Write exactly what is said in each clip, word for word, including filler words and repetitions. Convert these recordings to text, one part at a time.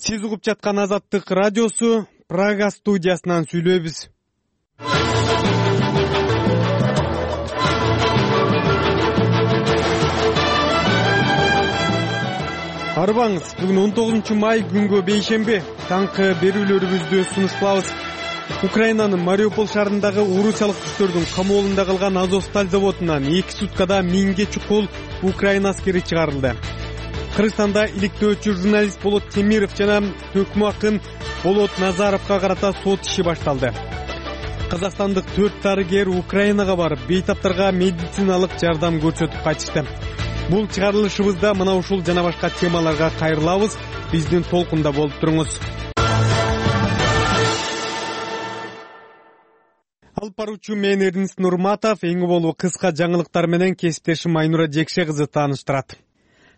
Сиз угуп жаткан Азаттык радиосу, Прага студиясынан сүйлөйбүз. Арбаңыз, бүгүн он тогузунчу май күнгө бейшемби, таңкы берүүлөрүбүздү сунуш кылабыз. Украинанын Мариуполь шаарындагы орусиялык күчтөрдүн камоолунда калган Азовсталь заводунан эки суткада миңге чукул Украина аскери чыгарылды. Кыргызстанда иликтөөчү журналист Болот Темиров жана төкмө акын Болот Назаровго карата сот иши башталды. Казакстандык төрт дарыгер Украинага барып, бейтаптарга медициналык жардам көрсөтүп кайтышты. Бул чыгарылышыбызда мына ушул жана башка темаларга кайрылабыз. Биздин толкунда болуп туруңуз. Алып баруучу мен Эрнис Нурматов, эң болуу кыска жаңылыктар менен кесиптешим Айнура Жекше кызы тааныштырат.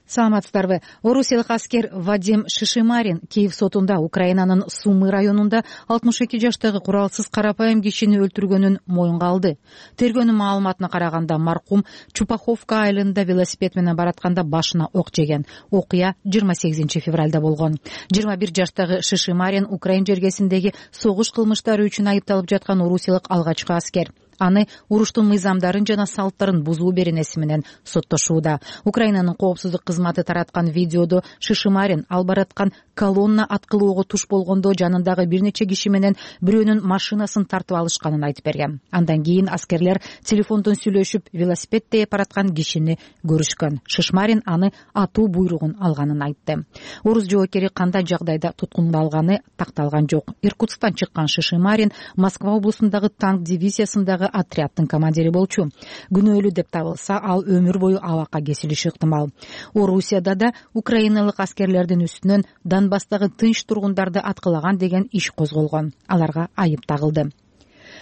Саламатсыздарбы. Орусиялык аскер Вадим Шишимарин Киев сотунда Украинанын Сумы районунда алтымыш эки жаштагы куралсыз карапайым кишини өлтүргөнүн моюнга алды. Тергөөнүн маалыматына караганда маркум Чупаховка айылында велосипед менен баратканда башына ок жеген. Окуя жыйырма сегизинчи февралда болгон. жыйырма бир жаштагы Шишимарин Украин жергесиндеги согуш кылмыштары үчүн айыпталып жаткан орусиялык алгачкы аскер. Аны уруштун мыйзамдарын жана салттарын бузуу беренеси менен соттошууда. Украинанын коопсуздук кызматы тараткан видеодо Шишимарин ал бараткан колонна аткылоого туш болгондо жанындагы бир нече киши менен бирөөнүн машинасын тартып алышканын айтып берген. Андан кийин аскерлер телефондон сүйлөшүп, велосипед тээп бараткан кишини көрүшкөн. Шишимарин аны атуу буйругун алганын айтты. Орус жоокери кандай жагдайда туткунга алганы такталган жок. Иркутсктан чыккан Шишимарин Москва облусундагы танк дивизиясындагы отрядтын командири болчу. Күнөөлүү деп табылса, ал өмүр бою абакка кесилиши ыктымал. Орусияда да украиналык аскерлердин үстүнөн Донбасстагы тынч тургундарды аткылаган деген иш козголгон. Аларга айып тагылды.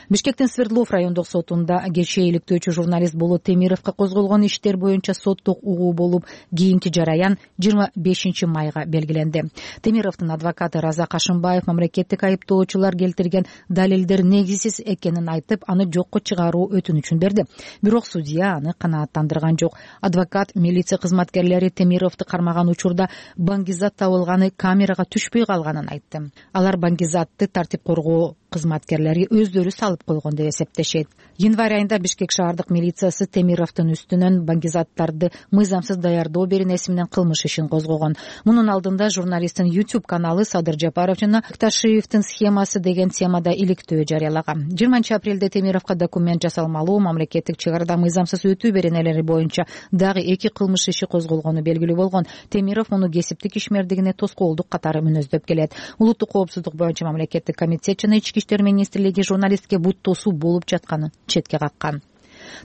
Бишкектин Свердлов райондук сотунда кечээ иликтөөчү журналист Болот Темировго козголгон иштер боюнча соттук угуу болуп, кийинки жараян жыйырма бешинчи майга белгиленди. Темировдун адвокаты Раза Кашымбаев мамлекеттик айыптоочулар келтирген далилдер негизсиз экенин айтып, аны жокко чыгаруу өтүнүчүн берди. Бирок судья аны канааттандырган жок. Адвокат милиция кызматкерлери Темировду кармаган учурда баңгизат табылганы камерага түшпөй калганын айтты. Алар баңгизатты тартип коргоо кызматкерлери өздөрү салып койгон деп эсептешет. Январь айында Бишкек шаардык милициясы Темировдун үстүнөн баңгизаттарды мыйзамсыз даярдоо беренеси менен кылмыш ишин козгогон. Мунун алдында журналисттин YouTube каналы Садыр Жапаров жана Ташиевдин схемасы деген темада иликтөө жарыялаган. жыйырманчы апрелде Темировго документ жасалмалуу мамлекеттик чек арада мыйзамсыз өтүү беренелери боюнча дагы эки кылмыш иши козголгону белгилүү болгон. Темиров муну кесиптик ишмердигине тоскоолдук катары мүнөздөп келет. Улуттук коопсуздук боюнча мамлекеттик комитет жана ички иштер министрлиги журналистке бут тосуу болуп жатканын четке каккан.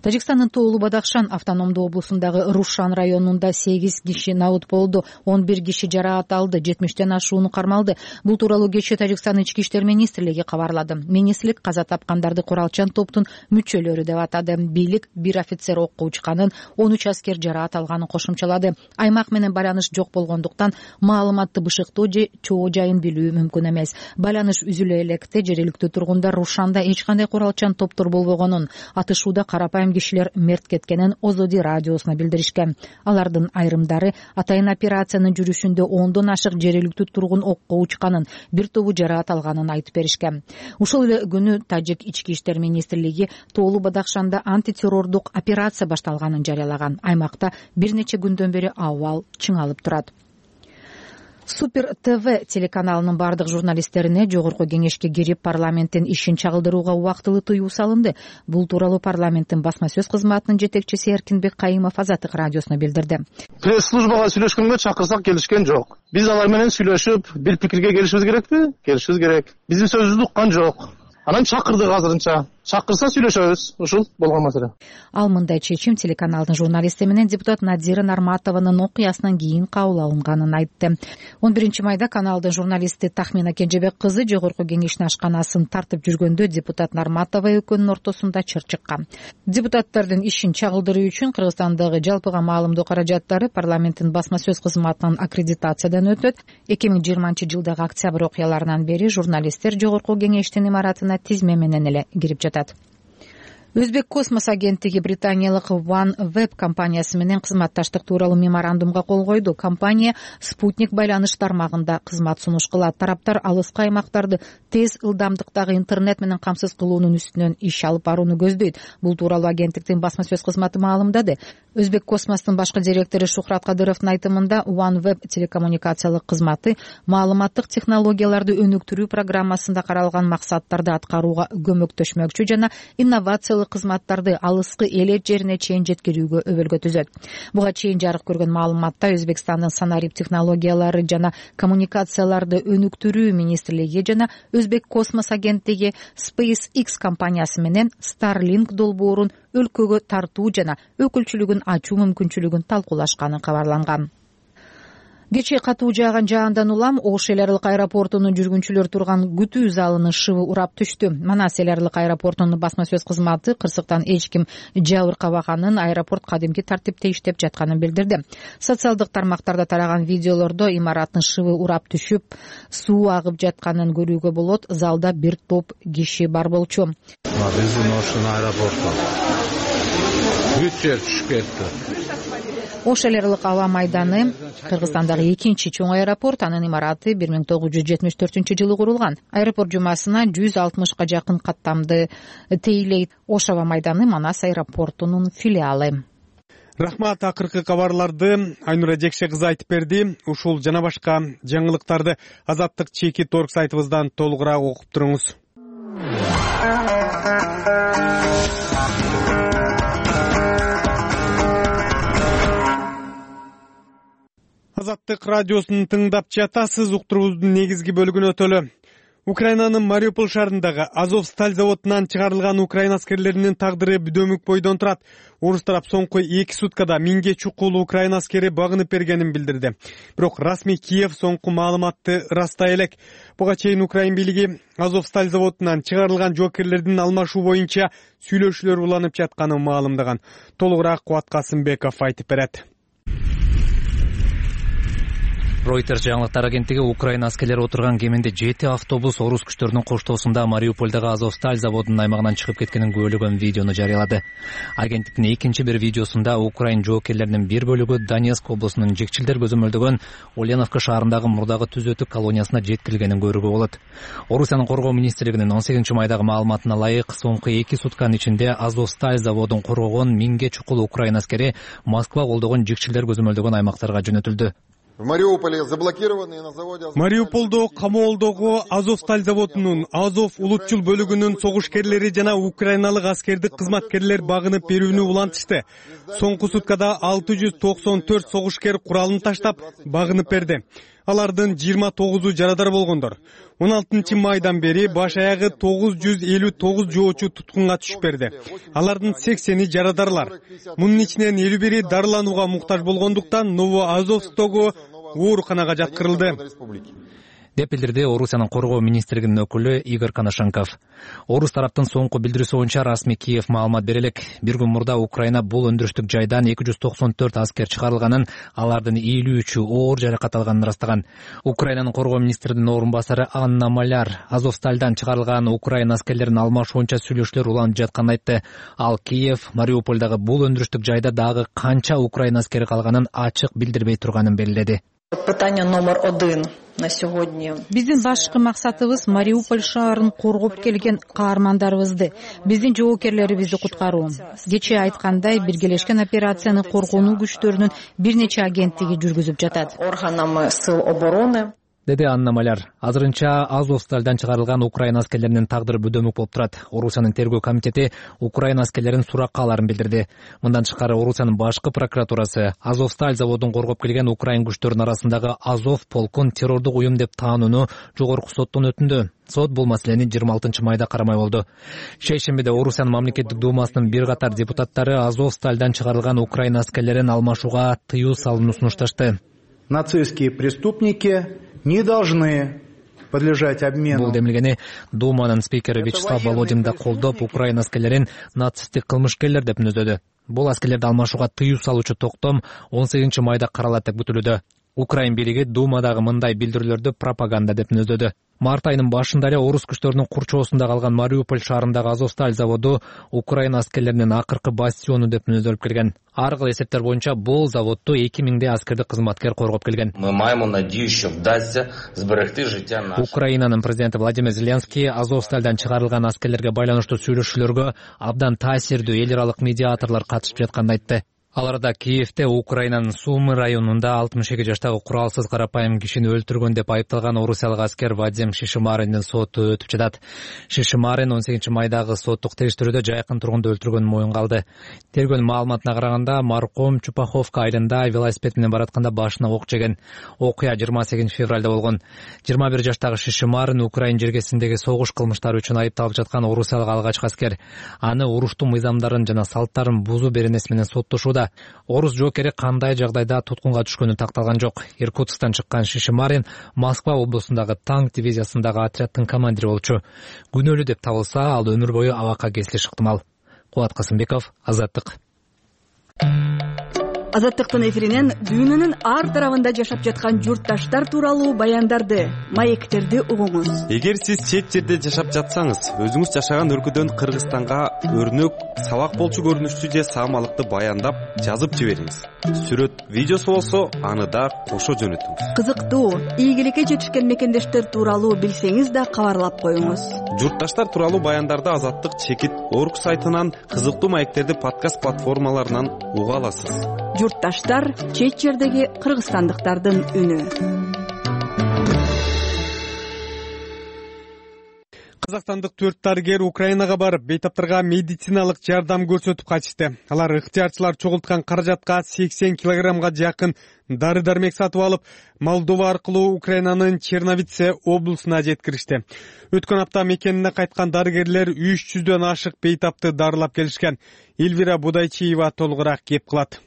Тажикстандын Тоолу Бадахшан автономдуу облусундагы Рушан районунда сегиз киши наут болду, он бир киши жараат алды, жетимиштен ашууну кармалды. Бул тууралуу кечээ Тажикстан ички иштер министрлиги кабарлады. Министрлик каза тапкандарды куралчан топтун мүчөлөрү деп атады. Бийлик бир офицер окко учканын, он үч аскер жараат алганын кошумчалады. Аймак менен байланыш жок болгондуктан маалыматты бышыктоо же чоо жайын билүү мүмкүн эмес. Байланыш үзүлө электе жергиликтүү тургундар Рушанда эч кандай куралчан топтор болбогонун, атышууда карапайым кишилер мерт кеткенин Озоди радиосуна билдиришкен. Алардын айрымдары атайын операциянын жүрүшүндө ондон ашык жергиликтүү тургун окко учканын, бир тобу жараат алганын айтып беришкен. Ушул эле күнү Тажик ички иштер министрлиги Тоолу Бадахшанда антитеррордук операция башталганын жарыялаган. Аймакта бир нече күндөн бери абал чыңалып турат. Супер ТВ телеканалынын бардык журналисттерине жогорку кеңешке кирип парламенттин ишин чагылдырууга убактылуу тыюу салынды. Бул тууралуу парламенттин басма сөз кызматынын жетекчиси Эркинбек Кайымов Азаттык радиосуна билдирди. Пресс-службага сүйлөшкөнгө чакырсак келишкен жок. Биз алар менен сүйлөшүп, бир пикирге келишибиз керекпи? Келишибиз керек. Биздин сөзүбүздү уккан жок. Анан чакырдык азырынча. Чакырса сүйлөшөбүз. Ушул болгон маселе. Ал мындай чечим телеканалдын журналисти менен депутат Надира Нарматованын окуясынан кийин кабыл алынганын айтты. он биринчи майда каналдын журналисти Тахмина Кенжебек кызы жогорку кеңештин ашканасын тартып жүргөндө депутат Нарматова экөөнүн ортосунда чыр чыккан. Депутаттардын ишин чагылдыруу үчүн Кыргызстандагы жалпыга маалымдоо каражаттары парламенттин басма сөз кызматынын аккредитациядан өтөт. эки миң жыйырманчы жылдагы октябрь окуяларынан бери журналисттер жогорку кеңештин имаратына тизме менен эле кирип жатат. Өзбек космос агенттиги британиялык OneWeb компаниясы менен кызматташтык тууралуу меморандумга кол койду. Компания спутник байланыш тармагында кызмат сунуш кылат. Тараптар алыскы аймактарды тез ылдамдыктагы интернет менен камсыз кылуунун үстүнөн иш алып барууну көздөйт. Бул тууралуу агенттиктин басма сөз кызматы маалымдады. Өзбек космостун башкы директору Шухрат Кадыровдун айтымында OneWeb телекоммуникациялык кызматы маалыматтык технологияларды өнүктүрүү программасында каралган максаттарды аткарууга көмөктөшмөкчү жана инновациялык кызматтарды алыскы элет жерине чейин жеткирүүгө өбөлгө түзөт. Буга чейин жарык көргөн маалыматта Өзбекстандын санарип технологиялары жана коммуникацияларды өнүктүрүү министрлиги жана Өзбек космос агенттиги SpaceX компаниясы менен Starlink долбоорун өлкөгө тартуу жана өкүлчүлүгүн ачуу мүмкүнчүлүгүн талкуулашканы кабарланган. Кечээ катуу жааган жаандан улам Ош эл аралык аэропортунун жүргүнчүлөр турган күтүү залынын шыбы урап түштү. Манас эл аралык аэропортунун басма сөз кызматы кырсыктан эч ким жабыркабаганын, аэропорт кадимки тартипте иштеп жатканын билдирди. Социалдык тармактарда тараган видеолордо имараттын шыбы урап түшүп, суу агып жатканын көрүүгө болот. Залда бир топ киши бар болчу. Биздин Оштун аэропорту бүт жер түшүп кетти. Ош эл аралык аба майданы Кыргызстандагы экинчи чоң аэропорт. Анын имараты бир миң тогуз жүз жетимиш төртүнчү жылы курулган. Аэропорт жумасына жүз алтымышка жакын каттамды тейлейт. Ош аба майданы Манас аэропортунун филиалы. Рахмат, акыркы кабарларды Айнура Жекше кызы айтып берди. Ушул жана башка жаңылыктарды Азаттык чеки торг сайтыбыздан толугураак окуп туруңуз. Азаттык радиосун тыңдап жатасыз. Уктуруубуздун негизги бөлүгүнө өтөлү. Украинанын Мариуполь шаарындагы Азовсталь заводунан чыгарылган украин аскерлеринин тагдыры бүдөмүк бойдон турат. Орус тарап соңку эки суткада миңге чукул украин аскери багынып бергенин билдирди. Бирок расмий Киев соңку маалыматты ырастай элек. Буга чейин Украин бийлиги Азовсталь заводунан чыгарылган жоокерлердин алмашуу боюнча сүйлөшүүлөр уланып жатканын маалымдаган. Толугураак Кубат Касымбеков айтып берет. Reuters жаңылыктар агенттиги Украина аскерлери отурган кеминде жети автобус орус күчтөрүнүн коштоосунда Мариупольдагы Азовсталь заводунун аймагынан чыгып кеткенин күбөлөгөн видеону жарыялады. Агенттиктин экинчи бир видеосунда Украин жоокерлеринин бир бөлүгү Донецк облусунун Жекчилдер көзөмөлдөгөн Ульяновка шаарындагы мурдагы түзөтүк колониясына жеткирилгенин көрүүгө болот. Орусиянын коргоо министрлигинин он сегизинчи майдагы маалыматына ылайык, соңку эки сутканын ичинде Азовсталь заводун коргогон миңге чукул украин аскери Москва колдогон Жекчилдер көзөмөлдөгөн аймактарга жөнөтүлдү. Мариуполдо камоолдогу Азовсталь заводунун Азов улутчул бөлүгүнүн согушкерлери жана украиналык аскердик кызматкерлер багынып берүүнү улантышты. Соңку суткада алты жүз токсон төрт согушкер куралын таштап багынып берди. Алардын жыйырма тогузу жарадар болгондор. он алтынчы майдан бери баш аягы тогуз жүз элүү тогуз жоочу туткунга түшүп берди. Алардын сексени жарадарлар. Мунун ичинен элүү бири дарыланууга муктаж болгондуктан Новоазовстогу ооруканага жаткырылды, деп билдирди Орусиянын коргоо министрлигинин өкүлү Игорь Коношенков. Орус тараптын соңку билдирүүсү боюнча расмий Киев маалымат бере элек. Бир күн мурда Украина бул өндүрүштүк жайдан эки жүз токсон төрт аскер чыгарылганын, алардын элүү үчү оор жаракат алганын ырастаган. Украинанын коргоо министринин орун басары Анна Маляр Азовстальдан чыгарылган украин аскерлерин алмашуу боюнча сүйлөшүүлөр уланып жатканын айтты. Ал Киев Мариупольдагы бул өндүрүштүк жайда дагы канча украин аскери калганын ачык билдирбей турганын белгиледи. Питание номер один на сегодня. Биздин башкы максатыбыз Мариуполь шаарын коргоп келген каармандарыбызды, биздин жоокерлерибизди куткаруу. Кечээ айткандай, биргелешкен операцияны коргонуу күчтөрүнүн бир нече агенттиги жүргүзүп жатат. Органами сил обороны, деди Анна Маляр. Азырынча Азовстальдан чыгарылган украин аскерлеринин тагдыры бүдөмүк болуп турат. Орусиянын тергөө комитети украин аскерлерин суракка аларын билдирди. Мындан тышкары Орусиянын башкы прокуратурасы Азовсталь заводун коргоп келген украин күчтөрүнүн арасындагы Азов полкун террордук уюм деп таанууну жогорку соттон өтүндү. Сот бул маселени жыйырма алтынчы майда карамай болду. Шейшембиде Орусиянын мамлекеттик думасынын бир катар депутаттары Азовстальдан чыгарылган украин аскерлерин алмашууга тыюу салууну сунушташты. Нацистские преступники не должны подлежать обмену. Бул демилгени Думанын спикери Вячеслав Володин да колдоп, украин аскерлерин нацисттик кылмышкерлер деп мүнөздөдү. Бул аскерлерди алмашууга тыюу салуучу токтом он сегизинчи майда каралат деп күтүлүүдө. Украин бийлиги Думадагы мындай билдирүүлөрдү пропаганда деп мүнөздөдү. Март айынын башында эле орус күчтөрүнүн курчоосунда калган Мариуполь шаарындагы Азовсталь заводу Украина аскерлеринин акыркы бастиону деп мүнөздөп келген. Ар кыл эсептер боюнча бул заводду эки миңдей аскердик кызматкер коргоп келген. Мы маємо надію, що вдасться зберегти життя наших. Украинанын президенти Владимир Зеленский Азовстальдан чыгарылган аскерлерге байланыштуу сүйлөшүүлөргө абдан таасирдүү эл аралык медиаторлор катышып жатканын айтты. Аларда Киевде Украинанын Сумы районунда алтымыш эки жаштагы куралсыз карапайым кишини өлтүргөн деп айыпталган орусиялык аскер Вадим Шишимарендин соту өтүп жатат. Шишимарен он сегизинчи майдагы соттук териштирүүдө жайкын тургунду өлтүргөнүн моюнга алды. Тергөөнүн маалыматына караганда марком Чупаховка айылында велосипед менен баратканда башына ок жеген. Окуя жыйырма сегизинчи февралда болгон. жыйырма бир жаштагы Шишимарен Украин жергесиндеги согуш кылмыштары үчүн айыпталып жаткан орусиялык алгачкы аскер. Аны уруштун мыйзамдарын жана салттарын бузуу беренеси менен соттошууда. Орус жоокери кандай жагдайда туткунга түшкөнү такталган жок. Иркутсктан чыккан Шишимарин Москва облусундагы танк дивизиясындагы отряддын командири болчу. Күнөөлүү деп табылса, ал өмүр бою абакка кесилиши ыктымал. Кубат Касымбеков, Азаттык. Азаттыктын эфиринен дүйнөнүн ар тарабында жашап жаткан журтташтар тууралуу баяндарды, маектерди угуңуз. Эгер сиз чет жерде жашап жатсаңыз, өзүңүз жашаган өлкөдөн Кыргызстанга өрнөк, сабак болчу көрүнүштүү же саамалыкты баяндап жазып жибериңиз. Сүрөт, видеосу болсо, аны да кошо жөнөтүңүз. Кызыктуу, ийгиликке жетишкен мекендештер тууралуу билсеңиз да кабарлап коюңуз. Журтташтар тууралуу баяндарды Азаттык чекит орг сайтынан, кызыктуу маектерди подкаст платформаларынан уга аласыз. Журтташтар чет жердеги кыргызстандыктардын үнү. Казакстандык төрт дарыгер Украинага барып, бейтаптарга медициналык жардам көрсөтүп кайтышты. Алар ыктыярчылар чогулткан каражатка сексен килограммга жакын дары-дармек сатып алып, Молдова аркылуу Украинанын Черновице облусуна жеткиришти. Өткөн апта мекенине кайткан дарыгерлер үч жүздөн ашык бейтапты дарылап келишкен. Эльвира Будайчиева толугураак кеп кылат.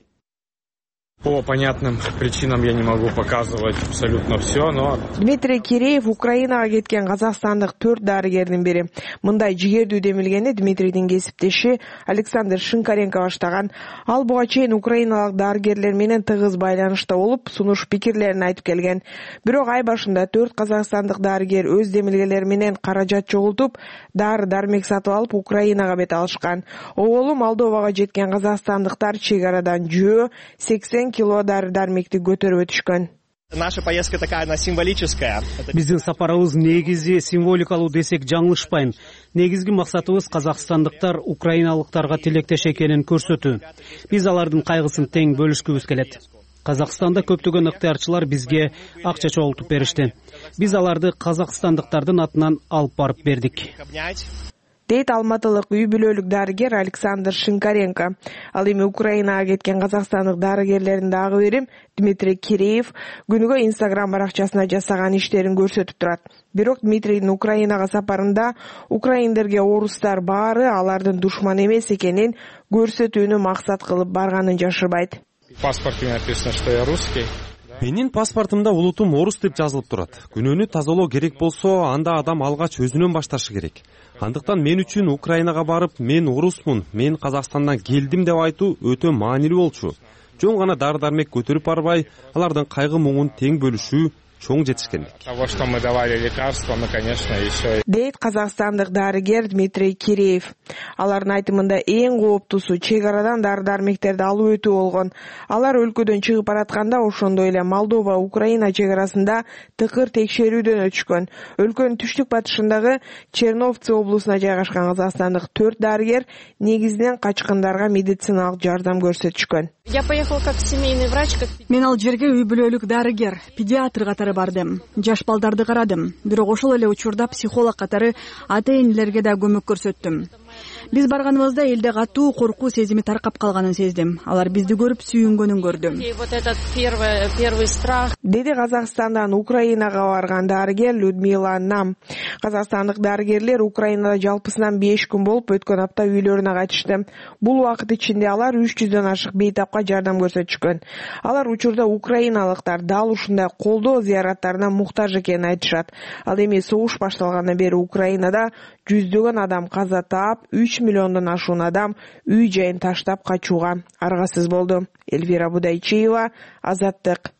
По понятным причинам я не могу показывать абсолютно все, но... Дмитрий Киреев Украинага кеткен казакстандык төрт дарыгердин бири. Мындай жигердүү демилгени Дмитрийдин кесиптеши Александр Шинкаренко баштаган. Ал буга чейин украиналык дарыгерлер менен тыгыз байланышта болуп, сунуш пикирлерин айтып келген. Бирок ай башында төрт казакстандык дарыгер өз демилгелери менен каражат чогултуп, дары-дармек сатып алып Украинага бет алышкан. Оболу Молдовага жеткен казакстандыктар чек арадан жөө, сексен кило дары-дармекти көтөрүп өтүшкөн. Наша поездка такая, она символическая. Биздин сапарыбыз негизи символикалуу десек жаңылышпайм. Негизги максатыбыз казакстандыктар украиналыктарга тилектеш экенин көрсөтүү. Биз алардын кайгысын тең бөлүшкүбүз келет. Казакстанда көптөгөн ыктыярчылар бизге акча чогултуп беришти. Биз аларды казакстандыктардын атынан алып барып бердик. Дейт алматылык үй бүлөлүк дарыгер Александр Шинкаренко. Ал эми Украинага кеткен казакстандык дарыгерлердин дагы бири Дмитрий Киреев күнүгө Инстаграм баракчасына жасаган иштерин көрсөтүп турат. Бирок Дмитрийдин Украинага сапарында украиндерге орустар баары алардын душман эмес экенин көрсөтүүнү максат кылып барганын жашырбайт. В паспорте написано, что я русский. Менин паспортумда улутум орус деп жазылып турат. Күнөөнү тазалоо керек болсо, анда адам алгач өзүнөн башташы керек. Андыктан мен үчүн Украинага барып, мен орусмун, мен Казакстандан келдим деп айтуу өтө маанилүү болчу. Жөн гана дары-дармек көтөрүп барбай, алардын кайгы муңун тең бөлүшүү чоң жетишкендик. Того, что мы давали лекарства, мы, конечно, еще... Дейт казакстандык дарыгер Дмитрий Киреев. Алардын айтымында эң кооптуусу чек арадан дары-дармектерди алып өтүү болгон. Алар өлкөдөн чыгып баратканда ошондой эле Молдова Украина чек арасында тыкыр текшерүүдөн өтүшкөн. Өлкөнүн түштүк батышындагы Черновице облусуна жайгашкан казакстандык төрт дарыгер негизинен качкындарга медициналык жардам көрсөтүшкөн. Я поехал как семейный врач, как... Мен ал жерге үй бүлөлүк дарыгер, педиатр катары бардым. Жаш балдарды карадым. Бирок ошол эле учурда психолог катары ата-энелерге да көмөк көрсөттүм. Биз барганыбызда элде катуу коркуу сезими таркап калганын сездим. Алар бизди көрүп сүйүнгөнүн көрдүм. И вот этот первый первый страх. Деди Казакстандан Украинага барган дарыгер Людмила Нам. Казакстандык дарыгерлер Украинада жалпысынан беш күн болуп өткөн апта үйлөрүнө кайтышты. Бул убакыт ичинде алар үч жүздөн ашык бейтапка жардам көрсөтүшкөн. Алар учурда украиналыктар дал ушундай колдоо зыяраттарына муктаж экенин айтышат. Ал эми согуш башталгандан бери Украинада жүздөгөн адам каза таап, үч миллиондон ашуун адам үй жайын таштап качууга аргасыз болду. Эльвира Будайчиева, Азаттык.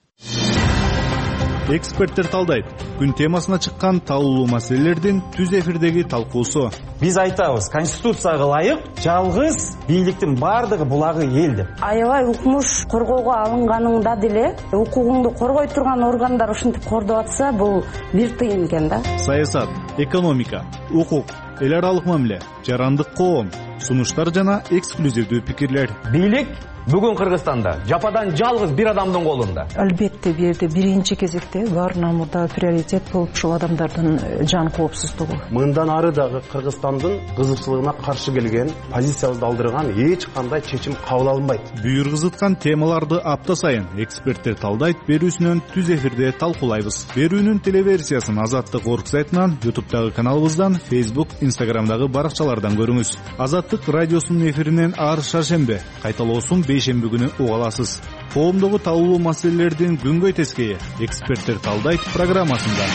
Эксперттер талдайт. Күн темасына чыккан талуулуу маселелердин түз эфирдеги талкуусу. Биз айтабыз, конституцияга ылайык жалгыз бийликтин баардыгы булагы эл деп. Аябай укмуш коргоого алынганыңда деле укугуңду коргой турган органдар ушинтип кордоп атса, бул бир тыйын экен да. Саясат, экономика, укук, эл аралык мамиле, жарандык коом, сунуштар жана эксклюзивдүү пикирлер. Бийлик бүгүн Кыргызстанда жападан жалгыз бир адамдын колунда. Албетте бул жерде биринчи кезекте баарынан мурда приоритет болуп ушул адамдардын жан коопсуздугу. Мындан ары дагы Кыргызстандын кызыкчылыгына каршы келген, позициябызды алдырган эч кандай чечим кабыл алынбайт. Бүйүр кызыткан темаларды апта сайын эксперттер талдайт берүүсүнөн түз эфирде талкуулайбыз. Берүүнүн телеверсиясын Азаттык орг сайтынан, ютубтагы каналыбыздан, Facebook, Instagramдагы баракчалардан көрүңүз. Азаттык радиосунун эфиринен ар шаршембе, кайталоосун бейшемби күнү уга аласыз. Коомдогу талуулуу маселелердин күнгөй тескейи эксперттер талдайт программасында.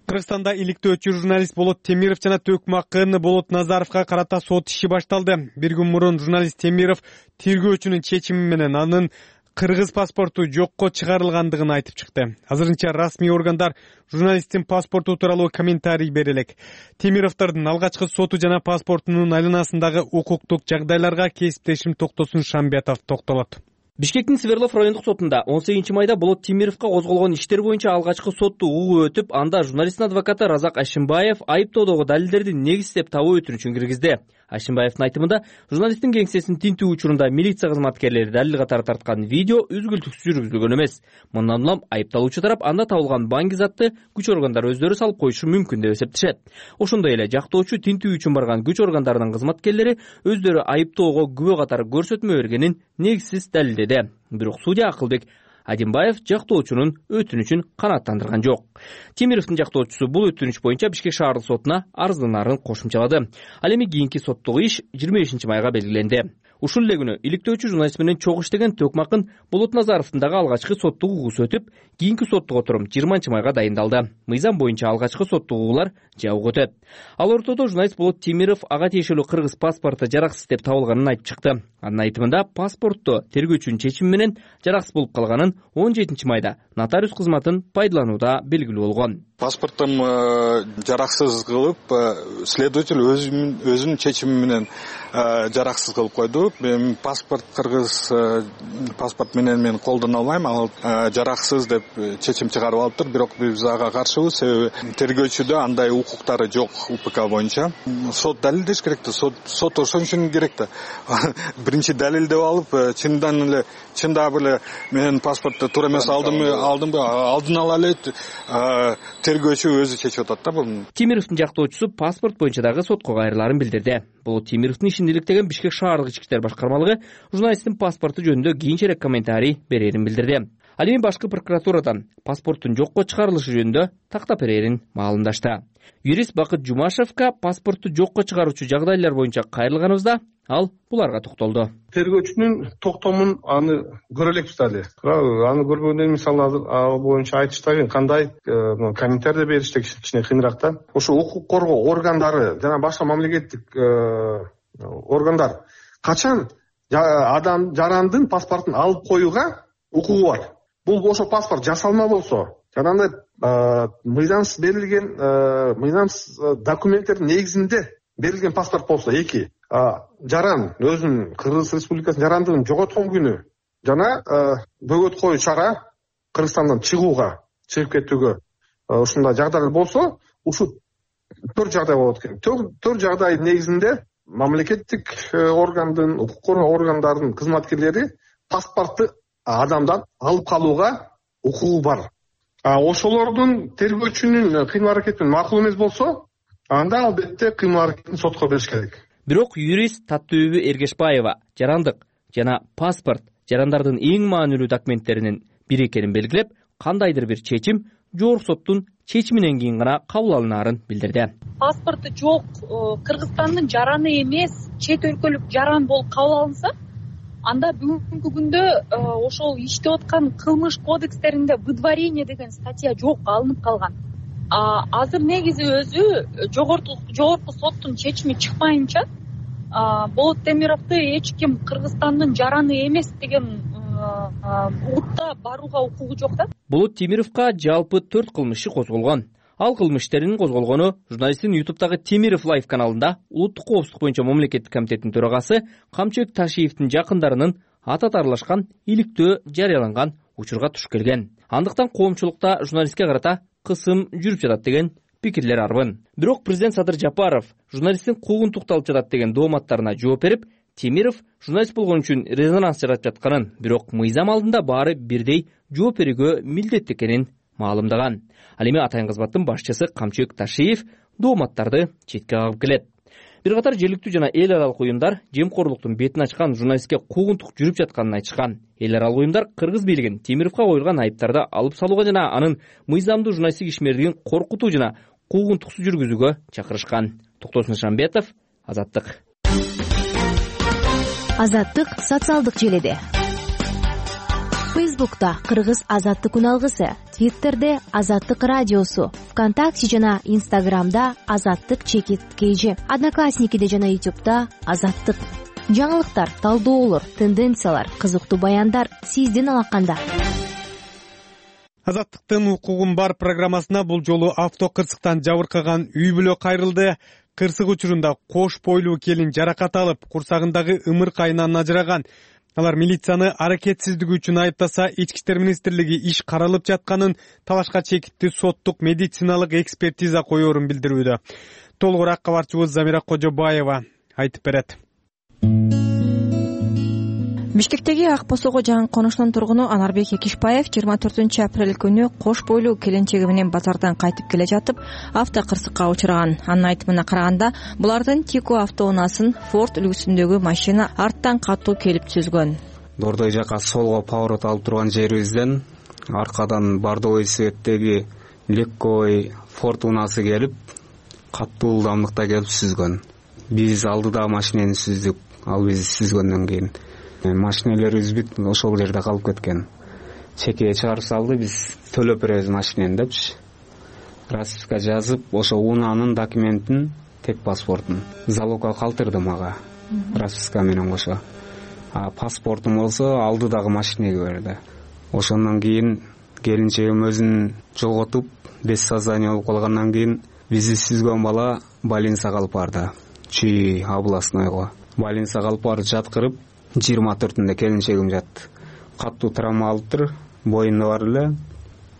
Кыргызстанда иликтөөчү журналист Болот Темиров жана Төкмакын Болот Назаровго карата сот иши башталды. Бир күн мурун журналист Темиров тергөөчүнүн чечими менен анын кыргыз паспорту жокко чыгарылгандыгын айтып чыкты. Азырынча расмий органдар журналисттин паспорту тууралуу комментарий бере элек. Темировдордун алгачкы соту жана паспортунун айланасындагы укуктук жагдайларга кесиптешим Токтосун Шамбетов токтолот. Бишкектин Свердлов райондук сотунда он сегизинчи майда Болот Темировго козголгон иштер боюнча алгачкы сотту угуп өтүп, анда журналисттин адвокаты Разак Ашимбаев айыптоодогу далилдерди негиздеп табуу өтүнүчүн киргизди. Ашимбаевдин айтымында, журналисттин кеңсесин тинтүү учурунда милиция кызматкерлери далил катары тарткан видео үзгүлтүксүз жүргүзүлгөн эмес. Мындан улам айыпталуучу тарап анда табылган банк затты күч органдары өздөрү салып коюшу мүмкүн деп эсептешет. Ошондой эле жактоочу тинтүү үчүн барган күч органдарынын кызматкерлери өздөрү айыптоого күбө катары көрсөтмө бергенин негизсиз далилдеди. Бирок судья Акылбек Адимбаев жактоочунун өтүнүчүн канааттандырган жок. Темировдун жактоочусу бул өтүнүч боюнча Бишкек шаардык сотуна арыздынаарын кошумчалады. Ал эми кийинки соттук иш жыйырма бешинчи майга белгиленди. Ушул эле күнү иликтөөчү журналист менен чогуу иштеген Төкмакын Болот Назаровдун дагы алгачкы соттук угуусу өтүп, кийинки соттук отурум жыйырманчы майга дайындалды. Мыйзам боюнча алгачкы соттук угуулар жабык өтөт. Ал ортодо журналист Болот Темиров ага тиешелүү кыргыз паспорту жараксыз деп табылганын айтып чыкты. Анын айтымында паспортту тергөөчүнүн чечими менен жараксыз болуп калганын он жетинчи майда нотариус кызматын пайдаланууда белгилүү болгон. Паспортум жараксыз кылып, следователь өзүнүн чечими менен жараксыз кылып койду. Мен паспорт кыргыз паспорт менен мен колдоно албайм, ал жараксыз деп чечим чыгарып алыптыр. Бирок биз ага каршыбыз, себеби тергөөчүдө андай укуктары жок УПК боюнча. Сот далилдеш керек да, сот сот ошон үчүн керек да. Биринчи далилдеп алып, чындан эле чындап эле мен паспортты туура эмес алдымбы, алдымбы, алдын ала эле тергөөчү өзү чечип атат да буну. Темировдун жактоочусу паспорт боюнча дагы сотко кайрылаарын билдирди. Бул Темировдун ишин иликтеген Бишкек шаардык ички иштер башкармалыгы журналисттин паспорту жөнүндө кийинчерээк комментарий берерин билдирди. Ал эми башкы прокуратурадан паспорттун жокко чыгарылышы жөнүндө тактап берерин маалымдашты. Юрист Бакыт Жумашевка паспортту жокко чыгаруучу жагдайлар боюнча кайрылганыбызда ал буларга токтолду. Тергөөчүнүн токтомун аны көрө элекпиз дали. Аны көрбөгөндөн мисалы ал боюнча айтышта кандай комментарий бериште кичине кыйыныраак да. Ошо укук коргоо органдары жана башка мамлекеттик органдар качан адам жарандын паспортун алып коюуга укугу бар. Бул ошо паспорт жасалма болсо, жанагындай мыйзамсыз берилген мыйзамсыз документтердин негизинде берилген паспорт болсо, эки жаран өзүнүн Кыргыз Республикасынын жарандыгын жоготкон күнү жана бөгөт коюу чара Кыргызстандан чыгууга, чыгып кетүүгө ушундай жагдайлар болсо, ушул төрт жагдай болот экен. Төрт жагдайдын негизинде мамлекеттик органдын, укук коргоо органдарынын кызматкерлери паспортты адамдан алып калууга укугу бар. Ошолордун тергөөчүнүн кыймыл аракети макул эмес болсо, анда албетте кыймыл аракетин сотко бериш керек. Бирок юрист Таттыөбү Эргешбаева жарандык жана паспорт жарандардын эң маанилүү документтеринин бири экенин белгилеп, кандайдыр бир чечим жогорку соттун чечиминен кийин гана кабыл алынаарын билдирди. Паспорту жок Кыргызстандын жараны эмес, чет өлкөлүк жаран болуп кабыл алынса, анда бүгүнкү күндө ошол иштеп аткан кылмыш кодекстеринде выдворение деген статья жок, алынып калган. Азыр негизи өзү жогорку жогорку соттун чечими чыкпайынча Болот Темировду эч ким Кыргызстандын жараны эмес деген утта барууга укугу жок да. Болот Темировго жалпы төрт кылмыш иши козголгон. Ал кылмыш иштеринин козголгону журналисттин ютубтагы Темиров Лайв каналында улуттук коопсуздук боюнча мамлекеттик комитеттин төрагасы Камчыбек Ташиевдин жакындарынын атат аралашкан иликтөө жарыяланган учурга туш келген. Андыктан коомчулукта журналистке карата кысым жүрүп жатат деген пикирлер арбын. Бирок президент Садыр Жапаров журналисттин куугун тукталып жатат деген дооматтарына жооп берип, Темиров журналист болгон үчүн резонанс жаратып жатканын, бирок мыйзам алдында баары бирдей жооп берүүгө милдеттүү экенин маалымдаган. Ал эми атайын кызматтын башчысы Камчыбек Ташиев дооматтарды четке кагып келет. Бир катар жергиликтүү жана эл аралык уюмдар жемкорлуктун бетин ачкан журналистке куугунтук жүрүп жатканын айтышкан. Эл аралык уюмдар кыргыз бийлигин Темировго коюлган айыптарды алып салууга жана анын мыйзамдуу журналисттик ишмердигин коркутуу жана куугунтуксуз жүргүзүүгө чакырышкан. Токтосун Нышанбетов, Азаттык. Азаттык социалдык желиде. Фейсбукта Кыргыз Азаттык үналгысы, Твиттерде Азаттык радиосу, ВКонтакте жана Инстаграмда Азаттык чекит кейжи, Одноклассникиде жана Ютубта Азаттык. Жаңылыктар, талдоолор, тенденциялар, кызыктуу баяндар сиздин алаканда. Азаттыктын укугун бар программасына бул жолу авто кырсыктан жабыркаган үй бүлө кайрылды. Кырсык учурунда кош бойлуу келин жаракат алып, курсагындагы ымыркайынан ажыраган. Алар милицияны аракетсиздиги үчүн айыптаса, Ички иштер министрлиги иш каралып жатканын, талашка чекиттүү соттук медициналык экспертиза коерун билдирүүдө. Толугураак кабарчыбыз Замира Кожобаева айтып берет. Бишкектеги Ак Босого жаңы конуштун тургуну Анарбек Экишбаев жыйырма төртүнчү апрель күнү кош бойлуу келинчеги менен базардан кайтып келе жатып авто кырсыкка учураган. Анын айтымына караганда, булардын Тико автоунаасын Ford үлгүсүндөгү машина арттан катуу келип түзгөн. Дордой жака солго поворот алып турган жерибизден аркадан бардовый цветтеги легковый Ford унаасы келип катуу ылдамдыкта келип сүзгөн. Биз алдыдагы машинени сүздүк, ал бизди сүзгөндөн кийин машинелерибиз бүт ошол жерде калып кеткен. Чекеге чыгарып салды, биз төлөп беребиз машинени депчи. Расписка жазып, ошо унаанын документин, тек паспортун залогко калтырды мага. Расписка менен кошо. А паспортум болсо алдыдагы машинеге берди. Ошондон кийин келинчегим өзүн жоготуп, без сознания болуп калгандан кийин бизди сүзгөн бала больницага алып барды. Чүй областнойго. Больницага алып барып жаткырып, жыйырма төртүндө келинчегим жатты. Катуу травма алыптыр, боюнда бар эле.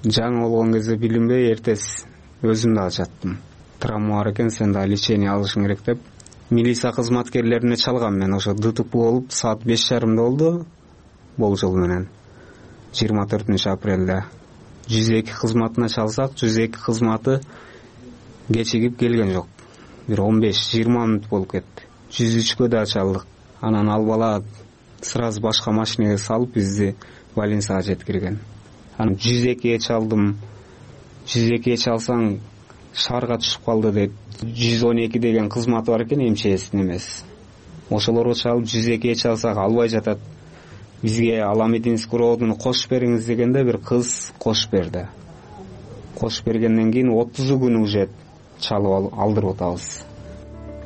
Жаңы болгон кезде билинбей, эртеси өзүм дагы жаттым. Травма бар экен, сен дагы лечение алышың керек деп. Милиция кызматкерлерине чалгам мен, ошо ДТП болуп, саат беш жарымда болду, болжол менен. жыйырма төртүнчү апрелде. жүз эки кызматына чалсак, жүз эки кызматы кечигип келген жок. Бир он беш жыйырма мүнөт болуп кетти. жүз үчкө да чалдык. Анан ал бала сразу башка машинеге салып бизди больницага жеткирген. Анан жүз экиге чалдым. жүз экиге чалсаң шаарга түшүп калды дейт. жүз он эки деген кызматы бар экен, эмчесин эмес. Ошолорго чалып жүз экиге чалсак албай жатат. Бизге Аламединский роодуну кошуп бериңиз дегенде бир кыз кошуп берди. Кошуп бергенден кийин отуз күн уже чалып алдырып атабыз.